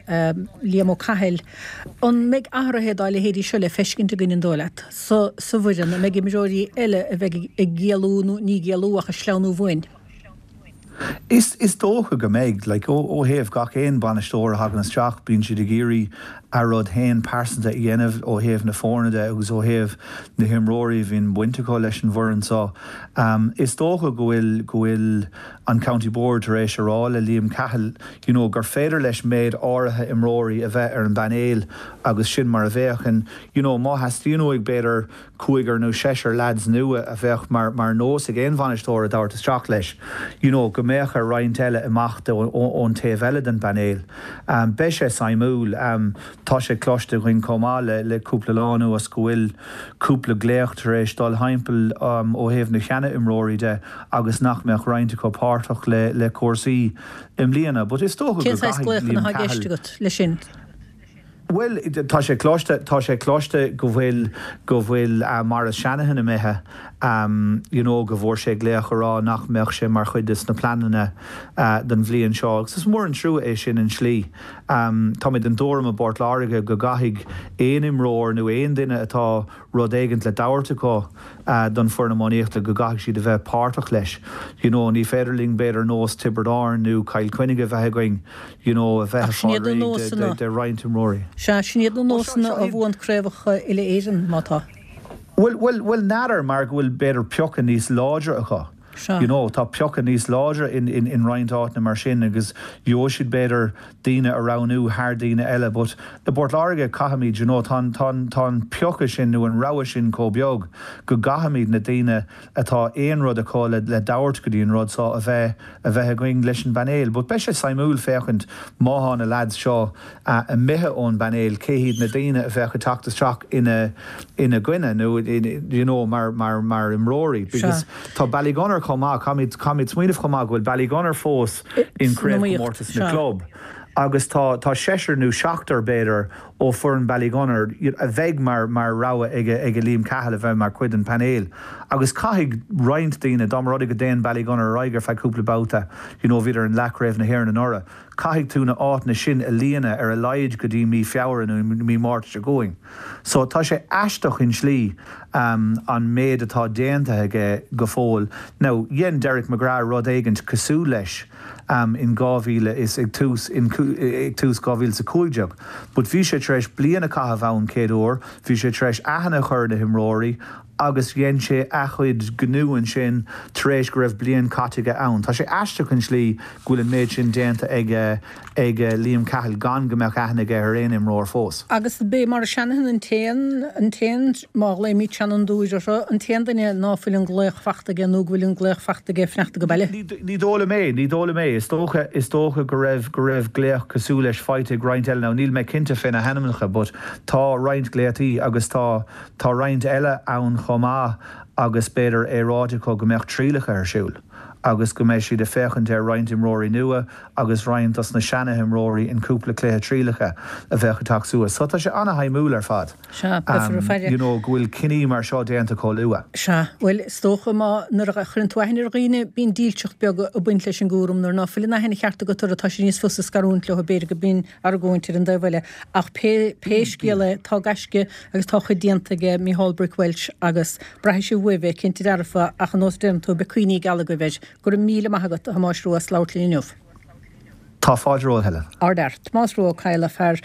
Liam Ó Cathail. An mbeidh athruithe dá leithéidí seo le feiscint againn an dóigh leat sa sa bhfoireann? An mbeidh imreoirí eile a bheidh ag éalú nó ní ag éalú ach ag sleamhnú uainn? Is is dócha go mbeidh, like, ó ó thaobh gach aon bainisteoir a thagann isteach, bíonn siad ag iarraidh a rud féin pearsanta a dhéanamh ó thaobh na foirne de agus ó thaobh na himreoirí a bhíonn baint acu leis an bhfoireann so. Um, is dócha go bhfuil go bhfuil an County Board tar éis a rá le Liam Cahill, you know, gur féidir leis méid áirithe imreoirí a bheith ar an bpainéal agus sin mar a bheadh and, you know, má theastaíonn uaidh b'fhéidir cúigear nó seisear lads nua a bheadh mar mar nós ag aon bhainisteoir a thabhairt isteach leis, you know, go mbeadh ar roinnt eile imeacht ón taobh eile den bpainéal. Um, beidh sé suimiúil, um, tá sé cloiste againn chomh maith le le cúpla lá anuas go bhfuil cúpla glaoch tar éis dul thimpeall um, ó thaobh na seana-imreoirí de agus nach mbeadh roinnt acu páirteach le le cúrsaí i mbliana, but is dócha go gcaithfidh Liam Cahill. leis sin? Bhuel, tá sé cloiste, tá sé cloiste go bhfuil, go bhfuil Maurice Shanahan imithe, you know, go bhfuair sé glaoch a rá nach mbeadh sé mar chuid de sna pleananna don bhliain seo agus is mór an trua é sin i slí. Tá mé den tuairim i bPort Láirge go gcaithfidh aon imreoir nó aon duine atá rud éigint le tabhairt acu don foireann iománaíochta go gcaithfidh siad a bheith páirteach leis. You know, ní féidir linn b'fhéidir nós Tiobraid Árann nó Cill Chainnigh a bheith againn, you know, a bheith ag fáil réidh de, de roinnt imreoirí. Sea, sin iad na nósanna a bhuann craobhacha uile-Éireann, má tá. Bhuel, bhuel, bhuel, n'fheadar mar go bhfuil b'fhéidir piocadh níos láidre acu. You know, tá piocadh níos láidre in, in, in roinnt áiteanna mar sin agus gheobhaidh siad b'fhéidir daoine a roghnú thar daoine eile, but i bPort Láirge caithfimid, you know, tá tá tá an piocadh sin nó an rogha sin chomh beag go gcaithfimid na daoine atá aon rud acu le le tabhairt go dtí an rud so a bheith a bheith againn leis an bpainéal. But beidh sé suimiúil féachaint má tá na lads seo uh, imithe ón bpainéal cé hiad na daoine a bheadh ag teacht isteach ina ina gcoinne nó you know, mar mar mar imreoirí because tá Ballygunner chomh maith caithfimid caithfimid smaoineamh chomh maith go bhfuil Ballygunner fós in craobhchomórtas na club. Agus tá tá seisear nó seachtar b'fhéidir ó foireann Ballygunner a bheidh mar mar rogha ag ag Liam Cahill a bheith mar chuid den painéal. Agus caithfidh roinnt daoine dá mba rud é go dtéann Ballygunner ar aghaidh ar feadh cúpla babhta, you know, bhíodar in leathchraobh na hÉireann anuraidh. Caithfidh tú na áiteanna sin a líonadh ar a laghad go dtí mí Feabhra nó mí Márta seo chugainn. So tá sé aisteach in slí um, an méid atá déanta aige go fóill. Now, dhein Derek McGrath rud éigint cosúil leis um, in dhá mhíle is ag tús in ag tús dhá mhíle is a cúig déag. But bhí sé tar éis bliain a chaitheamh ann céad uair, bhí sé tar éis aithne a chur na himreoirí agus dhein sé a chuid gnó ansin tar éis go raibh bliain caite aige ann. Tá sé aisteach an slí go bhfuil an méid sin déanta ag ag Liam Cahill gan go mbeadh aithne aige ar aon imreoir fós. Agus b'é Maurice Shanahan an t-aon an t-aon má ghlaoimid seanfhondúir orthu an t-aon duine ná fuil an glaoch fachta aige nó go bhfuil an glaoch fachta aige fanacht go baile. Ní dóigh liom é, ní dóigh liom é, is dócha is dócha go raibh go raibh glaoch cosúil leis faighte ag roinnt eile now níl mé cinnte fé na hainmneacha, but tá roinnt glaotaí agus tá tá roinnt eile ann chomh maith agus b'fhéidir é ráite acu go mbeadh trialacha ar siúl agus go mbeidh siad ag féachaint ar roinnt imreoirí nua agus roinnt dos na seana-imreoirí in cúpla cluiche trialacha a bheadh ag teacht suas. So tá sé an-shuimiúil ar fad. Sea, beifear ag faire. You know, go bhfuil cinní mar seo déanta chomh luath. Sea, bhuel, is dócha má nuair a chuireann tú aithne ar dhaoine, bíonn dílseacht beag ag baint leis an gcúram nuair ná fuil an aithne cheart agat orthu tá sé níos fusa scarúint leo b'fhéidir go mbíonn argóint ar an dtaobh eile. Ach pé pé scéal é, tá gaisce agus tá chuid déanta aige Micheál Brick Walsh agus braithfidh sibh uaibh é cinnte dearfa ach an nós déanann tú beidh cuimhní geala agaibh air. Go raibh míle maith agat a Thomáis Rua as labhairt linn inniu. Tá fáilte romhat Helen. Ardfhear. Tomás Rua Ó Cadhla fear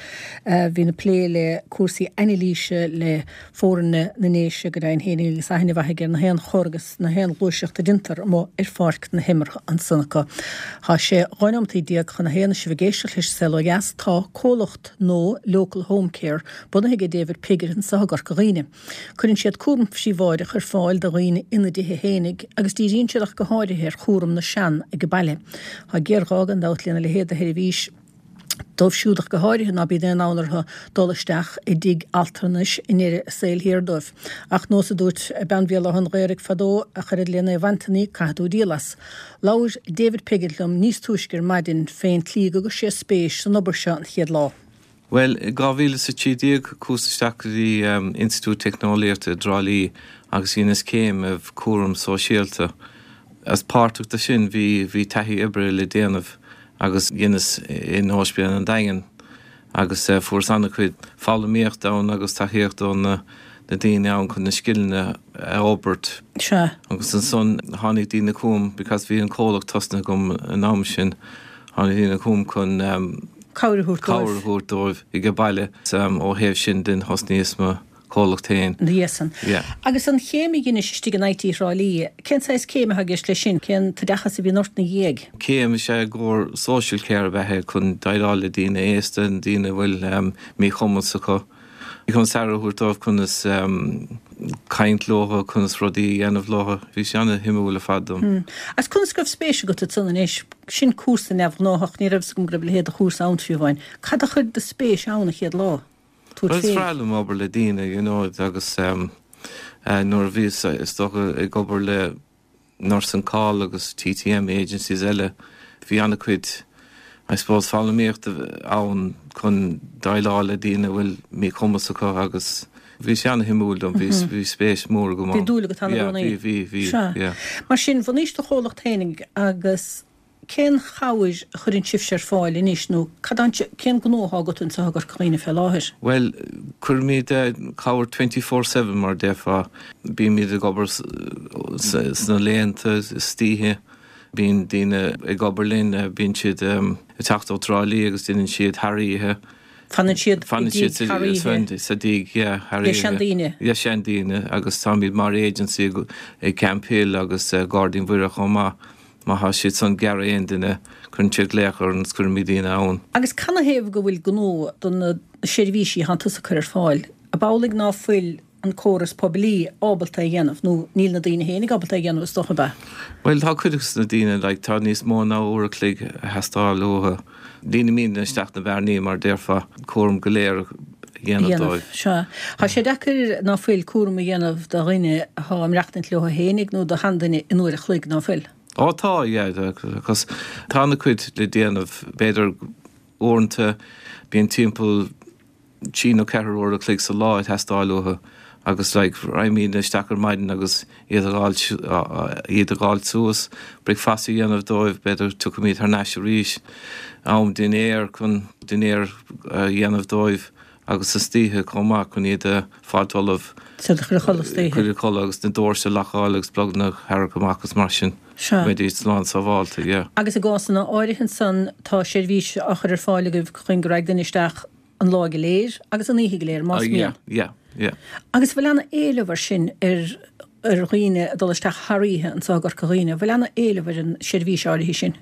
a bhíonn ag plé le cúrsaí anailíse le foirne na nDéise go deimhin féin agus aithne mhaith aige ar na haon chor agus na haon ghluaiseacht a déantar amuigh ar pháirc na himeartha ansan acu. Tá sé dhá nóimeataí déag chun a haon sibh ag éisteacht leis Saol Ó Dheas tá comhlacht nua Local Home Care bunaithe ag David Piggott anseo i gCorca Dhuibhne. Cuireann siad cúram príobháideach ar fáil do dhaoine ina dtithe féinig agus díríonn siad ach go háirithe ar chúram na sean ag baile. Tá géarghá gan dabht lena leithéid de sheirbhís dóibh siúd ach go háirithe ná bíonn aon fhonn orthu dul isteach i dtigh altranais i ndeireadh a saoil thiar dóibh. Ach nós a dúirt bean Bhéal Átha an Ghaorthaidh fadó ach oiread le Naomh Antaine caithfidh tú díol as. Labhair David Piggott liom níos túisce ar maidin fén tslí go gcuir sé spéis san obair seo an chéad lá. Well, dhá mhíle is a trí déag chuas isteach go dtí um, Institiúid Teicneolaíochta i dTrá Lí agus dheineas céim i gcúram sóisialta. As páirteach de sin bhí bhí taithí oibre le déanamh agus dheineas in Ospidéal an Daingin agus uh, fuaireas an-chuid foghlaimíocht ann agus tacaíocht ó na na daoine ann chun na scileanna a fhorbairt. Sea. Agus ansan tháinig daoine chugam because bhí an comhlacht tosnaithe agam an am sin tháinig daoine chugam chun um, Cabhair a thabhairt cabhair dóibh. a thabhairt dóibh ag baile um, ó thaobh sin den thosnaíos mo chomhlacht féin. Dhiaidh san. Yeah. Agus an chéim a dheinis istigh in IT Thrá Lí, cén saghas céim atá i gceist leis sin, cén t-oideachas a bhíonn ort ina dhiaidh? Céim is ea i gcomhair social care a bheith chun déileáil le daoine aosta, daoine a bhfuil um, míchumas acu. Chun aire a thabhairt dóibh conas um, caint leo, conas rudaí a dhéanamh leo, bhí sé an-shuimiúil ar fad dom. Hmm. Agus conas go raibh spéis agat ansan anois, sin cúrsa neamhghnách, ní raibh a fhios agam go raibh a leithéid de chúrsa ann fiú amháin. Cad a chuir do spéis ann an chéad lá? Tabhairt Well, is féin. breá liom obair le daoine, you know, agus um, uh, nuair a bhíos is dócha ag obair le Nurse on Call agus TTM agencies eile, bhí an-chuid I suppose foghlaimíocht ann chun déileáil le daoine a bhfuil míchumas acu agus bhí sé an-shuimiúil dom, bhí bhí spéis mór agam Bhí ann. dúil agat ann i Yeah, gcónaí. Bhí, bhí, bhí, Sea. yeah. Mar sin, bhunaís do chomhlacht féinig agus cén chabhair a chuireann sibhse ar fáil anois nó cad an cén gnó atá agat anseo i gCorca Dhuibhne fé láthair? Well, cuirimid cabhair twenty four seven mar déarfá bímid ag obair sna laethanta istoíche, bíonn daoine ag obair linn, bíonn siad um, ag teacht ó Thrá Lí agus déanann siad thar oíche. Fanann siad i Fanann dtigh siad thar oíche. sa dtigh, yeah, thar Le oíche. seandaoine. Le seandaoine agus táimid mar agency ag Camphill agus Gairdín Mhuire chomh maith. Má thá siad san ag iarraidh aon duine, cuireann siad glaoch orainn is cuirimid daoine ann. Agus canathaobh go bhfuil gnó do na seirbhísí a thánn tusa ag cur ar fáil? Ab amhlaidh ná fuil an córas poiblí ábalta é a dhéanamh, nó níl na daoine fhéinig ábalta é a dhéanamh is dócha, ab ea? Bhuel, tá cuid de na daoine, like, tá níos mó ná uair a chloig a theastáil uathu. Líonaimid isteach na bearnaí, mar déarfá, cúram go léir a dhéanamh dóibh. Sea. Tá sé deacair ná fuil cúram a dhéanamh do dhuine atá ag maireachtaint leo fhéinig nó do sheanduine in uair a chloig, ná fuil? Ó tá, yeah, cos tá ana chuid le déanamh, b'fhéidir uaireanta bíonn timpeall trí nó ceathair uair a chloig sa lá ag teastáil uathu agus like raghaimid isteach ar maidin agus iad a fháil iad a fháil suas, bricfeasta a dhéanamh dóibh, b'fhéidir tiocfaimid thar n-ais arís, am dinnéar chun dinnéar a dhéanamh dóibh agus istoíche chomh maith chun iad a fháilt ullamh. Iad a chur a chodladh istoíche. Cur a chodladh agus na doirse a lockáil agus pluganna a tharrac amach agus mar sin. Sea. Go mbeidís slán sábháilte, yeah. Agus i gcásanna áirithe ansan tá seirbhís á chur ar fáil agaibh chun go raghaidh duine isteach an lá go léir agus an oíche go léir, más mian. Yeah, yeah, yeah. Agus bhfuil ana éileamh ar sin ar ar dhaoine ag dul isteach thar oíche anso i gCorca Dhuibhne, bhfuil ana éileamh ar an seirbhís áirithe sin?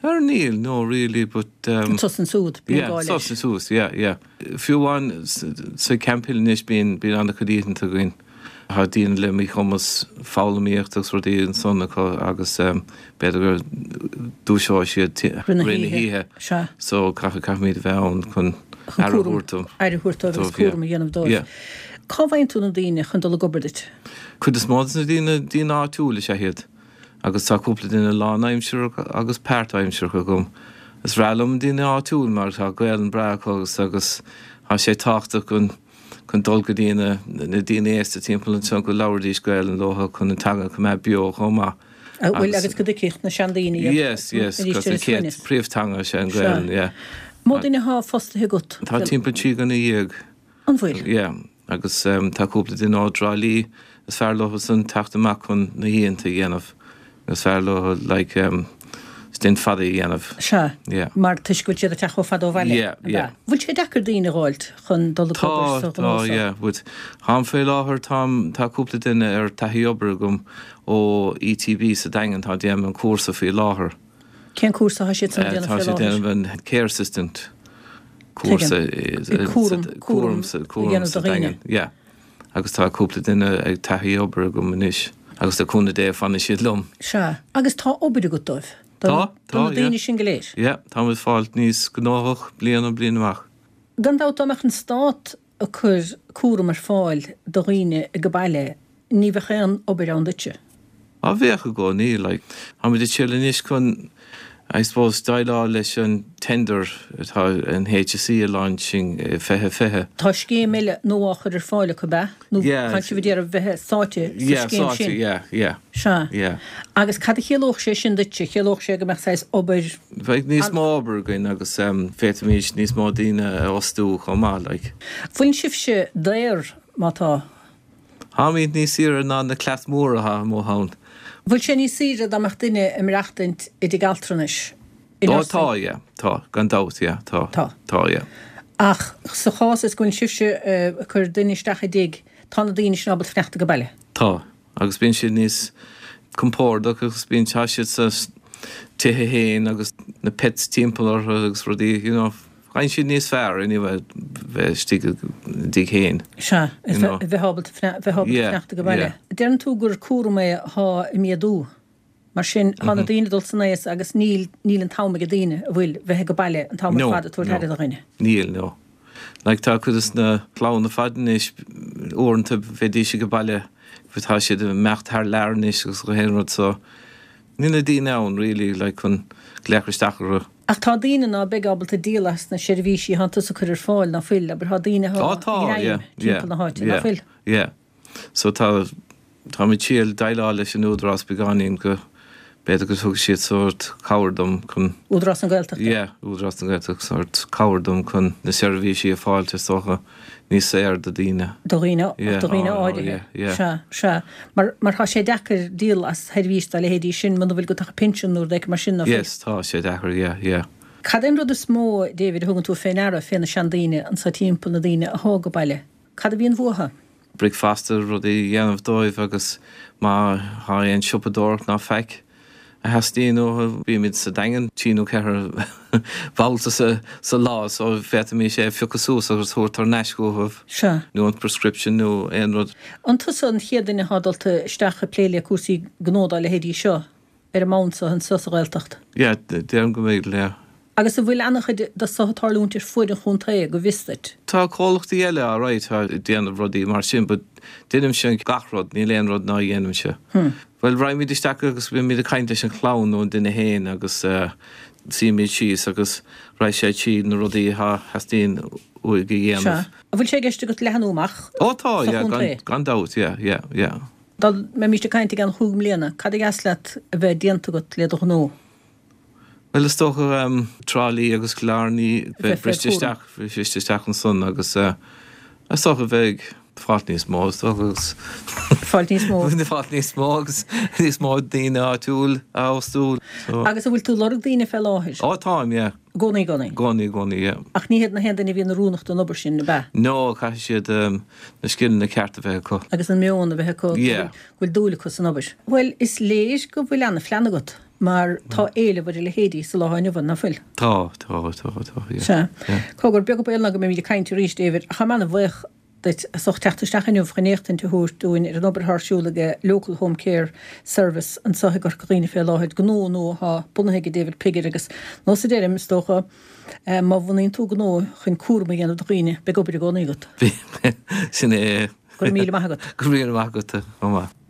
Ar níl, no really, but um, An sos ansúd, bíonn yeah, gá leis. sos ansúd, yeah, yeah. Fiú amháin sa Camphill anois bíonn bíonn an-chuid oícheanta againn. Tá daoine le míchumas foghlaimíocht agus rudaí ansan acu agus um, b'fhéidir go dúiseoidh siad Rith na rith na hoíche. hoíche. Sea. So caithfidh caithfimid a bheith ann chun Chun aire a cúram thabhairt dóibh. aire a thabhairt dóibh agus Dóibh, yeah. cúram a dhéanamh dóibh. Yeah. Cá bhfaigheann tú na daoine chun dul ag obair duit? Cuid is mó de na daoine daoine áitiúil is ea iad. Agus tá cúpla duine lánaimsearach agus páirtaimsearach agam. Is breá liom daoine áitiúil mar tá Gaelainn breá acu agus agus tá sé tábhachtach chun chun dul go dtí na na daoine aosta timpeall anseo go labhraídís Gaelainn leo chun an teanga a choimeád beo chomh maith. Bhfuil agus go dtuigfeadh na seandaoine iad. Yes, yes, arís cos ar an a chéad suaimhneas. príomhtheanga sé an Sea. Gaelainn, yeah. Mó duine atá fostaithe agat? Tá timpeall trí dhuine dhéag. An bhfuil? Yeah, agus um, tá cúpla duine ó Thrá Lí is fearr leo san teacht amach chun na hoícheanta a dhéanamh. Is fearr leo like um, stint fada a dhéanamh. Sea. Yeah. Mar toisc go bhfuil siad ag teacht chomh fada ó bhaile. Yeah, yeah. Bhfuil sé deacair daoine a dh'fháilt chun dul ag Tá, obair sa tá, ghnó seo? yeah, but táim faoi láthair táim tá cúpla duine ar taithí obair agam ó ETB sa Daingean tá déanamh an cúrsa faoi láthair. Cén cúrsa atá siad san Eh, déanamh Tá faoi siad láthair? déanamh an care assistant cúrsa Tuigim. Cúram, cúram cúram cúram a dhéanamh sa do dhaoine. Daingean. Yeah. Agus tá cúpla duine ag taithí obair agam anois agus le cúnamh Dé fanfaidh siad liom. Sea, agus tá obair agat dóibh? Do Tá, do tá, na daoine yeah. sin go léir? Yeah, táimid fáilt níos gnóthach bliain ó bliain amach. Gan dabht dá mbeadh an stát ag cur cúram ar fáil do dhaoine ag baile, ní bheadh aon obair ann duitse. Á bheadh i gcónaí, like, táimid ag triail anois chun, I suppose, déileáil leis an tender atá an HSE a launching fiche fiche. Tá scéim eile nua á chur ar fáil acu ab ea? Nó Yeah. tá sibh ag iarraidh bheith sáite sa Yeah, scéim sáite, sin? yeah, yeah. Sea. Yeah. Agus cad a chiallódh sé sin duitse? Chiallódh sé go mbeadh saghas obair Bheadh níos mó obair againn agus um, féadfaimid níos mó daoine a fhostú chomh maith, like. Bhfuil sibhse daor má tá? Táimid níos saoire ná na cleas móra atá amuigh ann. Bhfuil sé níos saoire dá mbeadh duine ag maireachtaint i dtigh altranais? I Ó, nursing? tá, yeah, tá, gan dabht, yeah, tá. Tá. Tá, yeah. Ach sa chás is go bhfuil sibhse eh, ag cur duine isteach i dtigh, tá na daoine sin ábalta fanacht go baile. Tá, agus bíonn siad níos compordach agus bíonn tá siad sa tithe féin agus na pets timpeall orthu agus rudaí, you know, faigheann siad níos fearr anyway bheith istigh i dtigh féin. Sea, You know. bheith ábalta bheith ábalta Yeah, fanacht go baile. yeah. Deireann tú gur cúram é atá ag méadú. Mar sin tá na Mhm. daoine dul san aois agus níl níl an t-am ag daoine a bhfuil bheith go baile an t-am No, fad tabhairt no. aire do dhuine. Níl, no. Like tá cuid de na clanna fada anois uaireanta bheidís go baile tá siad ag imeacht thar lear anois agus go haon rud so níl na daoine ann really like chun glaoch isteach orthu. Ach tá daoine ná beidh ábalta díol as na seirbhísí atá tusa ag cur ar fáil ná fuil, abair tá daoine Tá tá yeah, yeah, timpeall na háite yeah, ná fuil. Yeah. So tá tá mé triail déileáil leis an Údarás beagáinín go b'fhéidir go thug siad sórt cabhair dom chun Údarás na Gaeltachta. Yeah, Údarás na Gaeltachta sórt cabhair dom chun na seirbhísí a fháil is dócha níos saoire do dhaoine. Do dhaoine Yeah, do dhaoine oh, oh, áirithe. yeah, yeah. Sea, sea. Mar mar tá sé deacair díol as sheirbhís dá leithéidí sin muna bhfuil go tacha pinsean nó rud mar sin ná fuil. Yes, tá sé deacair, yeah, yeah. Cad é an rud is mó, David, a thugann tú fé ndeara fé na seandaoine anso timpeall, na daoine a thá ag baile? Cad a bhíonn uathu? Bricfeasta, rudaí a dhéanamh dóibh agus má thá aon siopadóireacht ná faic a theastaíonn uathu, bímid sa Daingean trí nó ceithre bhabhta sa lá so féadfaimís é a phiocadh suas agus a thabhairt thar n-ais chucu. Sea. Nó an prescription nó aon rud. An tusa an chéad duine atá dulta isteach ag plé le cúrsaí gnó dá leithéidí seo ar an mbonn so anseo sa Ghaeltacht? Yeah, déarfainn go mb'fhéidir, yeah. Agus an bhfuil an-chuid de so ag tarlúint ar fuaid an chontae, go bhfios duit? Tá comhlachtaí eile alright atá ag déanamh rudaí mar sin but deinimse gach rud, níl aon rud ná dhéanaimse. Bhuel, raghaimid isteach agus bímid ag caint leis an chlann nó an duine fhéin agus suímid síos agus raghaidh sé tríd na rudaí atá theastaíonn uaidh a dhéanamh. Sea. An bhfuil sé i gceist agat leathnú amach Ó tá, sa yeah, chontae? gan dabht, yeah, yeah, yeah. Dá mbeimíst ag caint i gceann chúig mbliana, cad a dheas leat a bheith déanta agat le do ghnó? Bhuel, is dócha Trá Lí agus Cill Airne bheith bheith briste fé chúram. isteach, briste isteach ansan agus is dócha bheith ag fáilt níos mó, is dócha agus Fáilt níos mó. Fáilt níos mó agus níos mó daoine áitiúil a fhostú. So. Agus an bhfuil tú ag lorg daoine fé láthair? Ó, táim, yeah. I gcónaí, i gcónaí? I gcónaí, i gcónaí, yeah. Ach ní hiad na haon duine a bhíonn oiriúnach don obair sin, ab ea? No, caithfidh siad na scileanna cearta a bheith acu. Agus an meon a bheith acu, go Yeah. bhfuil dúil acu san obair. Bhuel, is léir go bhfuil ana-phlean agat. Mar tá éileamh ar a leithéidí sa lá inniu ann, nach bhfuil? Tá, tá, tá, tá, yeah. Sea. Yeah. Cogar, beag an baol ná go mbeimid ag caint arís, David, ach táim an-bhuíoch duit as ucht teacht isteach inniu chun éachtaint a thabhairt dúinn ar an obair atá ar siúl ag Local Home Care Service anseo i gCorca Dhuibhne fé láthair, gnó nua atá bunaithe ag David Piggott agus nós a deirim, is dócha, má bhunaíonn tú gnó chun cúram a dhéanamh do dhaoine, beidh obair i gcónaí agat. Sin é. Go raibh míle maith agat. Go raibh míle maith agat, chomh maith.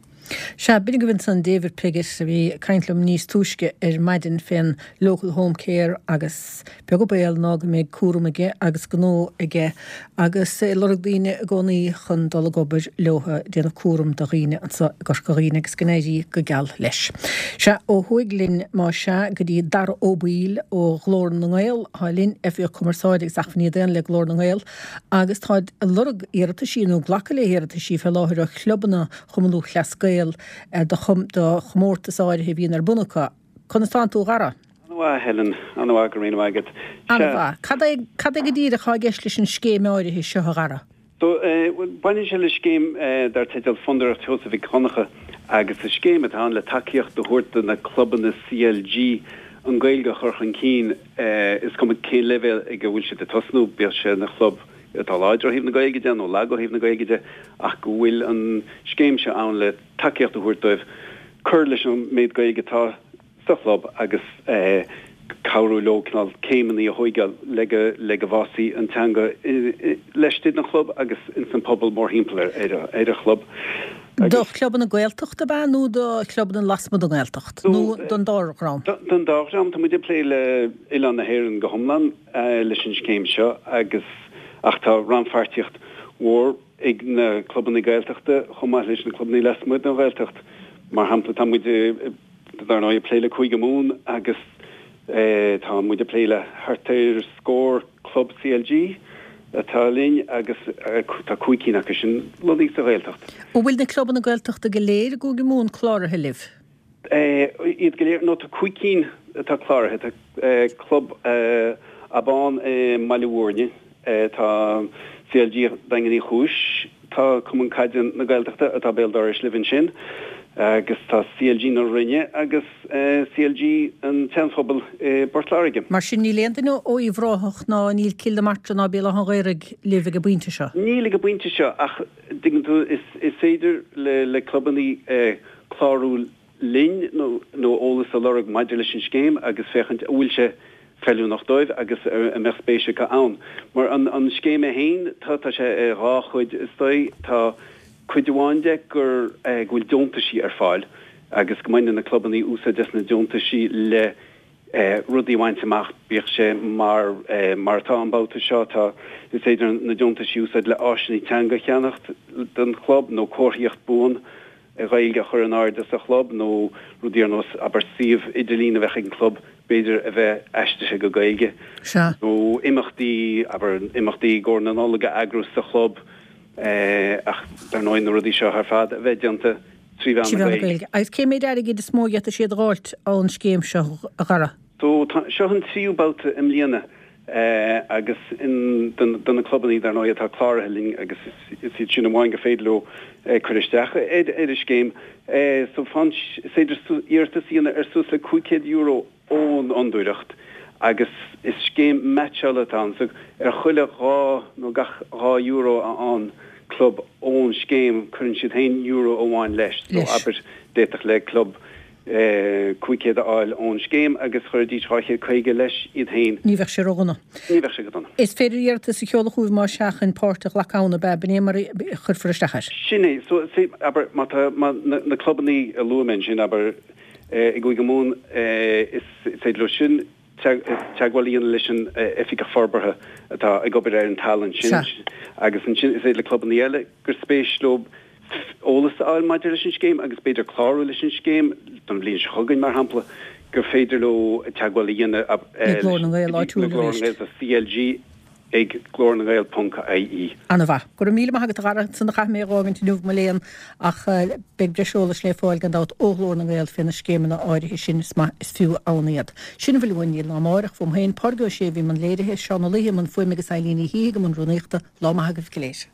Sea, b'in agaibh ansan David Piggott a bhí ag caint liom níos túisce ar maidin fén Local Home Care agus beag an baol ná go mbeidh cúram aige agus gnó aige agus é ag lorg daoine i gcónaí chun dul ag obair leo ag déanamh cúram do dhaoine anso i gCorca Dhuibhne agus go n-éirí go geal leis. Sea, ó thuaidh linn má sea go dtí Dara Ó Baoill ó Ghlór na nGael atá linn, Oifigeach Cumarsáide agus Acmhainní Daonna le Glór na nGael agus táid ag lorg iarrataisí nó glacadh le hiarrataisí fé láthair ó chlubanna Chumann Lúthchleas Gael do chomórtas áirithe a bhíonn ar bun acu. Conas tánn tú, a Dhara? An-mhaith, a Helen. An-mhaith, go raibh míle maith agat. An-mhaith. Cad é, cad é go díreach atá i gceist leis an scéim áirithe seo, a Dhara? So, baineann sé le scéim dar teideal Fondúireacht Sheosaimh Mhic Dhonncha agus is scéim atá ann le tacaíocht a thabhairt do na clubanna CLG an Ghaeilge a chur chun cinn, is cuma cén leibhéal ag a bhfuil siad ag tosnú, bíodh sé ina chlub atá láidir ó thaobh na Gaeilge de nó lag ó thaobh na Gaeilge de, ach go bhfuil an scéim seo ann le tacaíocht a thabhairt dóibh cur leis an méid Gaeilge atá sa chlub agus cabhrú leo cineál céimeanna a thóigeáil le go le go bhfásfaidh an teanga laistigh den chlub agus ins an pobal mórthimpeall ar ar an chlub. Do chlubanna Gaeltachta ab ea nó do chlubanna lasmuigh den nGaeltacht nó don dá dhream? Don dá dhream. Tá muid ag plé le oileán na hÉireann go hiomlán leis an scéim seo agus ach tá rannpháirtíocht mhór ag na clubanna Gaeltachta chomh maith leis na clubanna lasmuigh den Ghaeltacht. Mar shampla, tá muid dar ndóigh ag plé le Cúige Mumhan agus tá muid ag plé le thart ar scór club CLG atá linn agus tá cúig cinn acu sin lonnaithe sa Ghaeltacht. An bhfuil na clubanna Gaeltachta go léir i gCúige Mumhan cláraithe libh? Iad go léir? No, tá cúig cinn atá cláraithe. Tá Club Abán i mBaile Bhúirne, tá CLG Daingean Uí Chúis, tá Cumann Caide na Gaeltachta atá béal dorais libh ansin agus tá CLG na Rinne agus CLG an tSeanphobail i bPort Láirge. Mar sin níl aon duine ó Uíbh Ráthach ná níl Cill na Martra ná Béal Átha an Ghaorthaidh libh ag an bpointe seo? Níl ag an bpointe seo ach dtuigeann tú is is féidir le le clubanna clárú linn nó nó eolas a lorg maidir leis an scéim agus féachaint an bhfuil sé feiliúnach dóibh agus a mbeadh spéis acu ann. Mar an an scéim é féin, tá tá sé i dhá chuid is dóigh. Tá cuid amháin de gur go bhfuil deontaisí ar fáil agus go mbaineann na clubanna úsáid as na deontaisí le rudaí a bhaint amach, bíodh sé mar mar atá an babhta seo, tá is féidir na deontaisí a úsáid le áiseanna teanga a cheannacht don chlub nó comharthaíocht buan Ghaeilge a chur in airde sa chlub nó rudaí ar nós, abair, suíomh idirlín a bheadh ag an gclub, b'fhéidir, a bheith aistrithe go Gaeilge. Sea. Nó imeachtaí, abair, imeachtaí i gcomhair na Nollag a eagrú sa chlub ach dar ndóigh na rudaí seo ar fad a bheith déanta trí mheán Trí na mheán na Gaeilge. Gaeilge. Agus cé méid airgid is mó a d'fhéadfadh siad a dh'fháilt ón scéim seo, a Dhara? So tá, seo an tríú babhta i mbliana agus in, do na clubanna dar ndóigh atá cláraithe linn agus is iad sin amháin gur féidir leo cur isteach ar ar an scéim. So fan, is féidir iarratas a dhéanamh ar suas le cúig chéad euro ón Fhondúireacht agus is scéim meaitseála atá ann so ar chuile dhá nó gach dhá euro a fhaigheann club ón scéim cuireann siad féin euro amháin leis. So abair d'fhéadfadh le club cúig chéad a fháil ón scéim agus chuirfidís dhá chéad caoga leis iad féin. Ní bheadh sé ródhona. Ní bheadh sé go dona. Is féidir iarratas a sheoladh chugaibh más ea chun páirt a ghlacadh ann, ab ea? B'in é mar a chuirfear isteach air. Sin é. So abair má tá na clubanna a luaigh mé ansin abair i gCúige Mumhan is féidir leo sin teagmháil a dhéanamh leis an Oifigeach Forbartha atá ag obair ar an talamh ansin agus ansin is féidir le clubanna eile gur spéis leo eolas a fháil maidir leis an scéim agus b'fhéidir clárú leis an scéim don bhliain seo chugainn, mar shampla, gur féidir leo teagmháil a dhéanamh le Glór na nGael áitiúil arís. CLG ag Glór na nGael ponc IE. Ana mhaith. Go raibh míle maith agat a Dhara, ansan a chaithfidh mé a dh'fhágaint inniu, mo léan, ach beidh breis eolais le fáil gan dabht ó Ghlór na nGael fé na scéimeanna áirithe sin, is maith is fiú ann iad. Sin a bhfuil uainn go dtí amárach, fúm féin, Pádraig Ó Sé a bhí i mbun léirithe, Seán Ó Laoithe i mbun fuaime agus Eilín Ní Shíthigh i mbun rúnaíochta. Lá maith agaibh go léir.